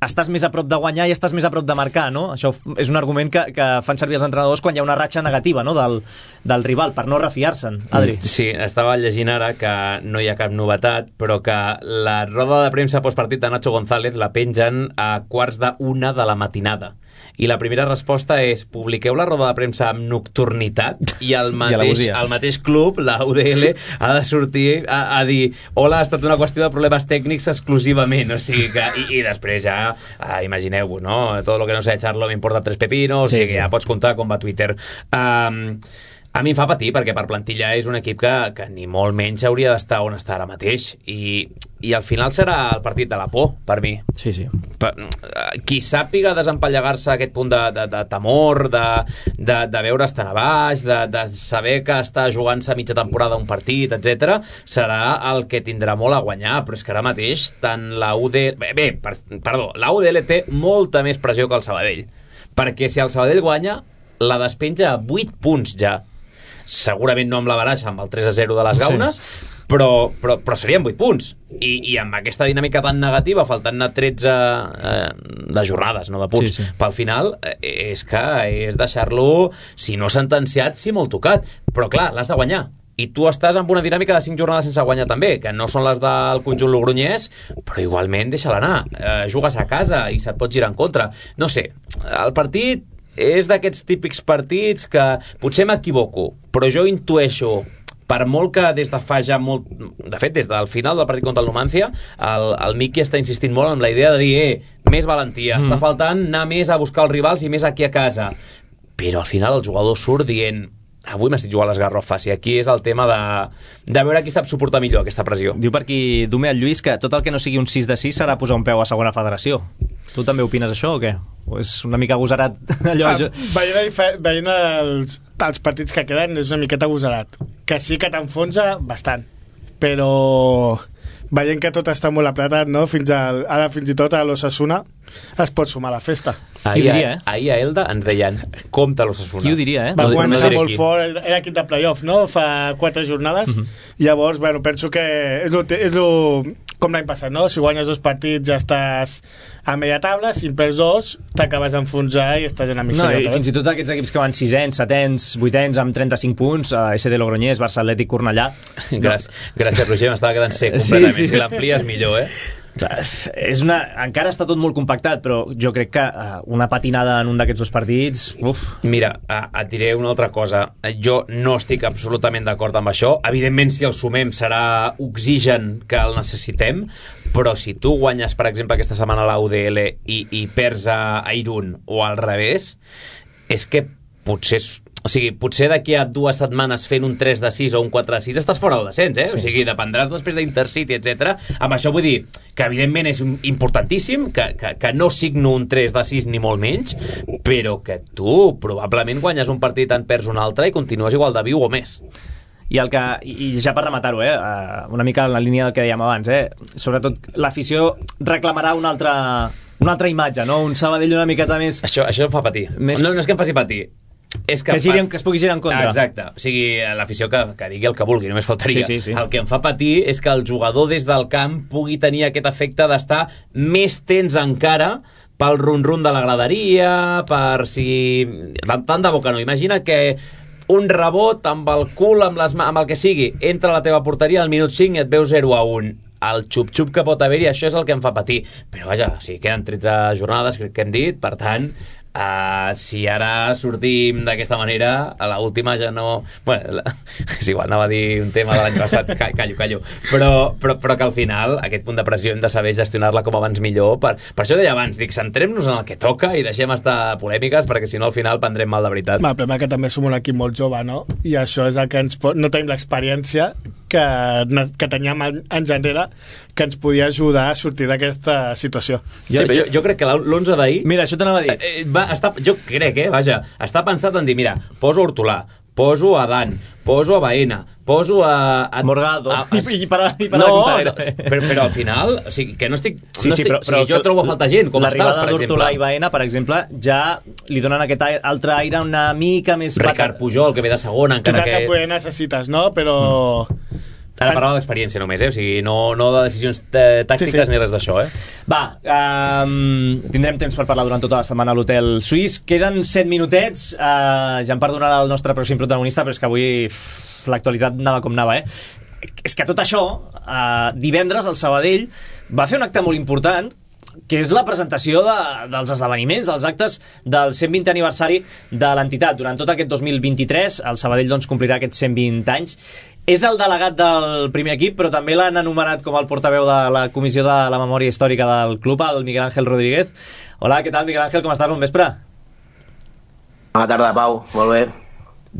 estàs més a prop de guanyar i estàs més a prop de marcar, no? Això és un argument que, que fan servir els entrenadors quan hi ha una ratxa negativa, no?, del, del rival, per no refiar-se'n. Adri. Sí, estava llegint ara que no hi ha cap novetat, però que la roda de premsa postpartit de Nacho González la pengen a quarts d'una de la matinada. I la primera resposta és: publiqueu la roda de premsa amb nocturnitat, i el mateix, el mateix club, la U D L, ha de sortir a, a dir: hola, ha estat una qüestió de problemes tècnics exclusivament. O sigui que, i, i després ja, ah, imagineu-vos, no? Todo lo que no sé de Charlo me importa tres pepinos, sí, o sigui que sí, ja pots comptar com va Twitter. Um, A mi em fa patir, perquè per plantilla és un equip que, que ni molt menys hauria d'estar on està ara mateix, i, i al final serà el partit de la por, per mi. Sí, sí. Per, qui sàpiga desempallegar-se aquest punt de, de, de temor, de, de, de veure estar a baix, de, de saber que està jugant-se mitja temporada un partit, etcètera, serà el que tindrà molt a guanyar, però és que ara mateix tant la U D... Bé, bé per, perdó, la U D L té molta més pressió que el Sabadell, perquè si el Sabadell guanya, la despenja a vuit punts ja. Segurament no amb la baraja, amb el tres a zero de les Gaunes, sí. però, però, però serien vuit punts. I, I amb aquesta dinàmica tan negativa, faltant-ne tretze eh, de jornades, no de punts, sí, sí. Pel final, eh, és que és deixar-lo, si no sentenciat, si molt tocat. Però clar, l'has de guanyar. I tu estàs amb una dinàmica de cinc jornades sense guanyar també, que no són les del conjunt logronyès, però igualment deixa-la anar. Eh, jugues a casa i se't pot girar en contra. No sé, el partit és d'aquests típics partits que potser m'equivoco, però jo intueixo, per molt que des de fa ja molt... De fet, des del final del partit contra el Numancia, el, el Miqui està insistint molt en la idea de dir eh, més valentia, mm. està faltant anar més a buscar els rivals i més aquí a casa. Però al final el jugador surt dient avui m'estic jugant les garrofes, i aquí és el tema de, de veure qui sap suportar millor aquesta pressió. Diu per aquí Dume el Lluís que tot el que no sigui un sis de sis serà posar un peu a segona federació. Tu també opines això o què? O és una mica agosarat allò? Ah, veient veient els, els partits que queden és una miqueta agosarat, que sí que t'enfonsa bastant, però veient que tot està molt apretat, no? Fins al, ara fins i tot a l'Osasuna es pot sumar a la festa. Ahir, diria, eh? ahir a Elda ens deien compte l'Osasuna. Qui ho diria, eh? Va no, començar no molt fort, era equip de playoff, no? Fa quatre jornades. Uh -huh. Llavors, bueno, penso que és lo, és lo, com l'any passat, no? Si guanyes dos partits ja estàs a media tabla, si en perds dos t'acabes d'enfonsar i estàs en la misèria. No, i fins i tot aquests equips que van sisens, setens, vuitens amb trenta-cinc punts, a S D Logroñés, Barça Atlètic, Cornellà. Gràcies, gràcies Roger, m'estava quedant sec completament. Sí, sí. Si l'amplies millor, eh? Clar, és una... encara està tot molt compactat, però jo crec que uh, una patinada en un d'aquests dos partits... Uf. Mira, uh, et diré una altra cosa. Jo no estic absolutament d'acord amb això. Evidentment, si el sumem serà oxigen que el necessitem, però si tu guanyes, per exemple, aquesta setmana a la U D L i, i perds a, a Irún o al revés, és que potser... O sigui, potser d'aquí a dues setmanes fent un tres de sis o un quatre de sis estàs fora del descens, eh? Sí. O sigui, dependràs després d'Intercity, etcètera. Amb això vull dir que evidentment és importantíssim, que, que, que no signo un tres de sis ni molt menys, però que tu probablement guanyes un partit, en perds un altre i continues igual de viu o més. I, el que, i ja per rematar-ho, eh, una mica en la línia del que dèiem abans, eh, sobretot l'afició reclamarà una altra, una altra imatge, no? Un Sabadell una miqueta més... Això, això em fa patir. Més... No, no és que em faci patir, és que, que, giri, que es pugui girar en contra. Ah, exacte, o sigui, l'afició que, que digui el que vulgui, només faltaria. Sí, sí, sí. El que em fa patir és que el jugador des del camp pugui tenir aquest efecte d'estar més tens encara pel run-run de la graderia, per si... Tant de bo que no. Imagina que un rebot amb el cul, amb, les, amb el que sigui, entra a la teva porteria al minut cinc i et veu zero a un. El xup-xup que pot haver-hi, això és el que em fa patir. Però vaja, o sigui, queden tretze jornades, crec que hem dit, per tant... Uh, si ara sortim d'aquesta manera, a l'última ja no... Bueno, la... és igual, anava a dir un tema de l'any passat, callo, callo. Però, però, però que al final aquest punt de pressió hem de saber gestionar-la com abans millor. Per, per això deia abans, dic, centrem-nos en el que toca i deixem estar polèmiques, perquè si no al final prendrem mal de veritat. Va, però que també som un equip molt jove, no? I això és el que ens pot... No tenim l'experiència que, que teníem anys enrere que ens podia ajudar a sortir d'aquesta situació. Sí, jo, jo, jo crec que l'onze d'ahir... Mira, això t'anava a dir. Eh, va, està, jo crec, eh, vaja, està pensat en dir, mira, poso Hortolà, poso a Dan, poso a Baena, poso a... a Morgado. A, a, I, i per, i per no, no, però, però al final, o sigui, que no estic... Sí, no sí, estic però, però, o sigui, jo trobo a falta gent, com estàs, per exemple. D'Hortolà i Baena, per exemple, ja li donen aquest altre aire una mica més... Ricard Pujol, que ve de segona, encara que... Que necessites, no? Però... Mm. Ara parlava d'experiència només, eh? O sigui, no, no de decisions tàctiques sí, sí. ni res d'això, eh? Va, um, tindrem temps per parlar durant tota la setmana a l'Hotel Suís. Queden set minutets, uh, ja em perdonarà el nostre pròxim protagonista, però és que avui l'actualitat anava com anava, eh? És que tot això, uh, divendres el Sabadell va fer un acte molt important, que és la presentació de, dels esdeveniments, dels actes del cent vint aniversari de l'entitat. Durant tot aquest dos mil vint-i-tres, el Sabadell doncs, complirà aquests cent vint anys. És el delegat del primer equip, però també l'han anomenat com el portaveu de la Comissió de la Memòria Històrica del club, el Miguel Ángel Rodríguez. Hola, què tal, Miguel Ángel? Com estàs? Bon vespre. Bona tarda, Pau. Molt bé.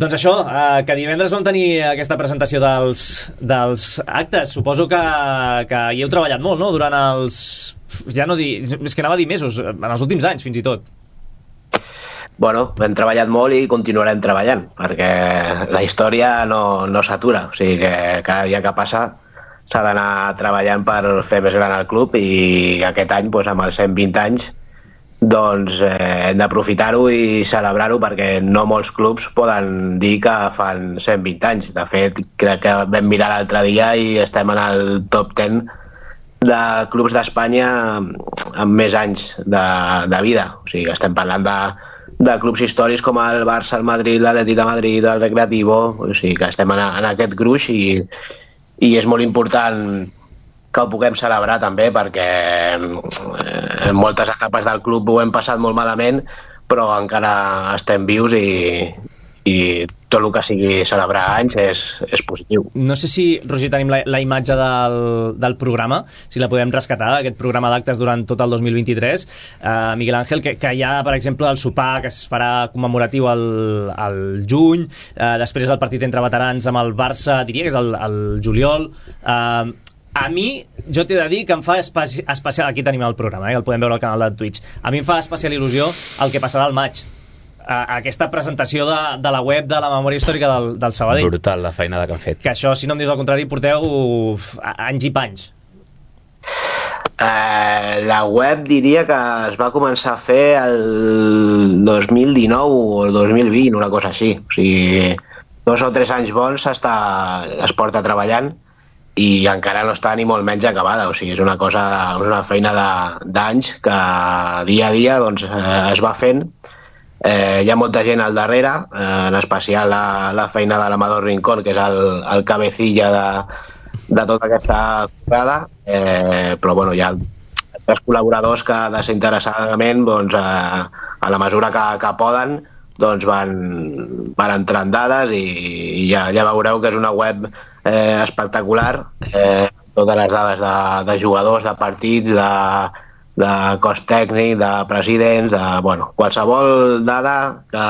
Doncs això, eh, que divendres vam tenir aquesta presentació dels, dels actes. Suposo que, que hi heu treballat molt, no?, durant els... ja no dir... és que anava a dir mesos, en els últims anys, fins i tot. Bueno, hem treballat molt i continuarem treballant, perquè la història no, no s'atura. O sigui que cada dia que passa s'ha d'anar treballant per fer més gran el club, i aquest any, doncs, amb els cent vint anys, doncs eh, hem d'aprofitar-ho i celebrar-ho, perquè no molts clubs poden dir que fan cent vint anys. De fet, crec que vam mirar l'altre dia i estem en el top deu de clubs d'Espanya amb més anys de, de vida. O sigui, estem parlant de, de clubs històrics com el Barça, el Madrid, l'Atlètic de Madrid, el Recreativo. O sigui, que estem en, en aquest gruix, i, i és molt important que ho puguem celebrar també, perquè en moltes etapes del club ho hem passat molt malament, però encara estem vius, i, i tot el que sigui celebrar anys és, és positiu. No sé si, Roger, tenim la, la imatge del, del programa, si la podem rescatar, aquest programa d'actes durant tot el dos mil vint-i-tres. Uh, Miguel Ángel, que, que hi ha, per exemple, el sopar que es farà commemoratiu al, al juny, uh, després el partit entre veterans amb el Barça, diria que és el, el juliol. Uh, A mi, jo t'he de dir que em fa especi especial... Aquí tenim el programa, eh, que el podem veure al canal de Twitch. A mi em fa especial il·lusió el que passarà al maig. A aquesta presentació de, de la web de la memòria històrica del, del Sabadell. Brutal la feinada que han fet. Que això, si no em dius el contrari, porteu anys i panys. Uh, la web diria que es va començar a fer el dos mil dinou o el dos mil vint, una cosa així. O sigui, dos o tres anys bons està, es porta treballant, i encara no està ni molt menys acabada. O sigui, és una cosa, és una feina d'anys que dia a dia, doncs, eh, es va fent. Eh, hi ha molta gent al darrere, eh, en especial la, la feina de l'Amador Rincón, que és el, el cabecilla de, de tota aquesta currada, eh, però bueno, hi ha tres col·laboradors que desinteressadament, doncs, eh, a la mesura que, que poden, doncs van, van entrant dades, i, i ja, ja veureu que és una web eh, espectacular, eh, totes les dades de, de jugadors, de partits, de, de cos tècnic, de presidents, de, bueno, qualsevol dada que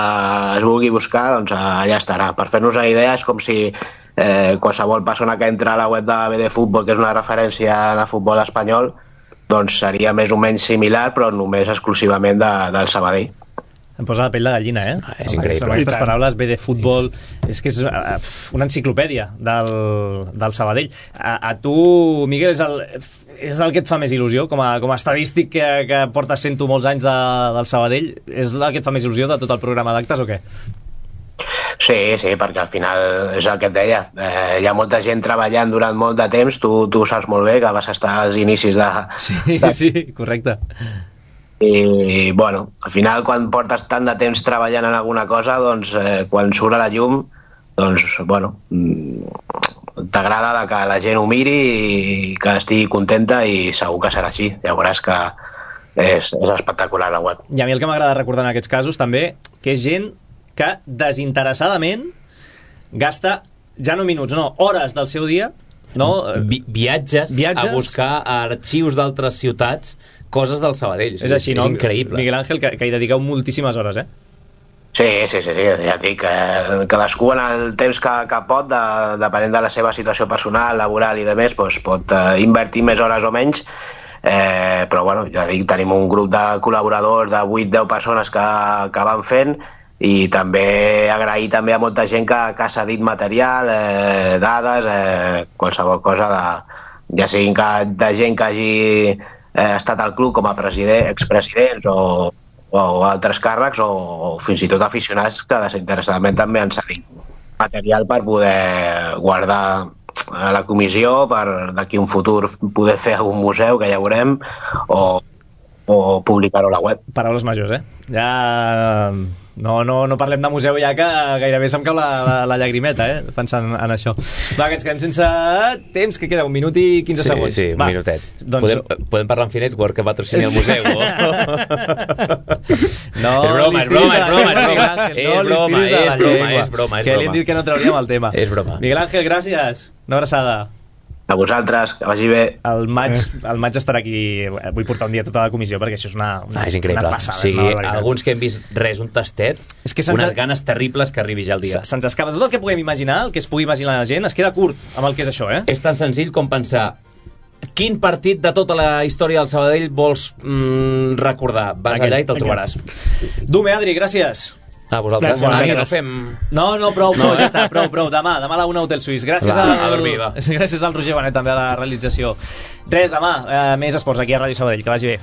es vulgui buscar, doncs allà estarà. Per fer-nos una idea, és com si eh, qualsevol persona que entra a la web de B D Futbol, que és una referència en el futbol espanyol, doncs seria més o menys similar, però només exclusivament de, del Sabadell. Em posa la pell de gallina, eh? Ah, és increïble. Amb aquestes paraules, B D Futbol, és que és una enciclopèdia del, del Sabadell. A, a tu, Miguel, és el, és el que et fa més il·lusió? Com a, com a estadístic que, que portes sent tu molts anys de, del Sabadell, és el que et fa més il·lusió de tot el programa d'actes o què? Sí, sí, perquè al final és el que et deia. Eh, hi ha molta gent treballant durant molt de temps, tu, tu ho saps molt bé, que vas estar als inicis de... Sí, de... sí, correcte. I, bueno, al final, quan portes tant de temps treballant en alguna cosa, doncs, eh, quan surt a la llum, doncs, bueno, t'agrada que la gent ho miri i que estigui contenta, i segur que serà així. Ja veuràs que és, és espectacular la web. I a mi el que m'agrada recordar en aquests casos també, que és gent que desinteressadament gasta, ja no minuts, no, hores del seu dia, no? Vi viatges, viatges a buscar arxius d'altres ciutats, coses del Sabadell. És així, és, no? És increïble. Miguel Ángel, que, que hi dediqueu moltíssimes hores, eh? Sí, sí, sí, sí, ja et dic, eh, cadascú en el temps que, que pot, de, depenent de la seva situació personal, laboral i de més, doncs pot eh, invertir més hores o menys, eh, però bueno, ja dic, tenim un grup de col·laboradors de vuit deu persones que, que van fent, i també agrair també a molta gent que, que ha cedit material, eh, dades, eh, qualsevol cosa, de, ja siguin que, de gent que hagi eh, estat al club com a president, expresidents o, o altres càrrecs, o, o fins i tot aficionats que desinteressadament també han cedit material per poder guardar a la comissió, per d'aquí un futur poder fer algun museu, que ja veurem, o, o publicar-ho a la web. Paraules majors, eh? Ja... No, no, no parlem de museu ja, que gairebé se'm cau la, la, la llagrimeta, eh? Pensant en això. Va, que ens quedem sense temps, que queda un minut i quinze sí, segons. Sí, un va. minutet. Doncs... Podem, podem parlar amb Finetwork, que patrocini el museu. No, és broma, és broma, és broma. És broma, és broma, és broma. Que li hem dit que no trauríem el tema. És broma. Miguel Ángel, gràcies. Una abraçada. A vosaltres, que vagi bé. El maig, el maig estarà aquí, vull portar un dia tota la comissió perquè això és una, una, ah, és increïble. una passada. O sigui, és una alguns que hem vist res, un tastet, és que unes ganes terribles que arribi ja el dia. Se'ns escapa tot el que puguem imaginar, el que es pugui imaginar la gent, es queda curt amb el que és això, eh? És tan senzill com pensar quin partit de tota la història del Sabadell vols mm, recordar. Vas Aquell, allà i te'l trobaràs. Dume, Adri, gràcies. A vosaltres. Bona nit, no fem... No, no, prou, prou, no, ja està, prou, prou. Demà, demà a la una Hotel Suís. Gràcies, va, al... a dormir, va. Gràcies al Roger Benet també a la realització. Res, demà, eh, més esports aquí a Ràdio Sabadell. Que vagi bé.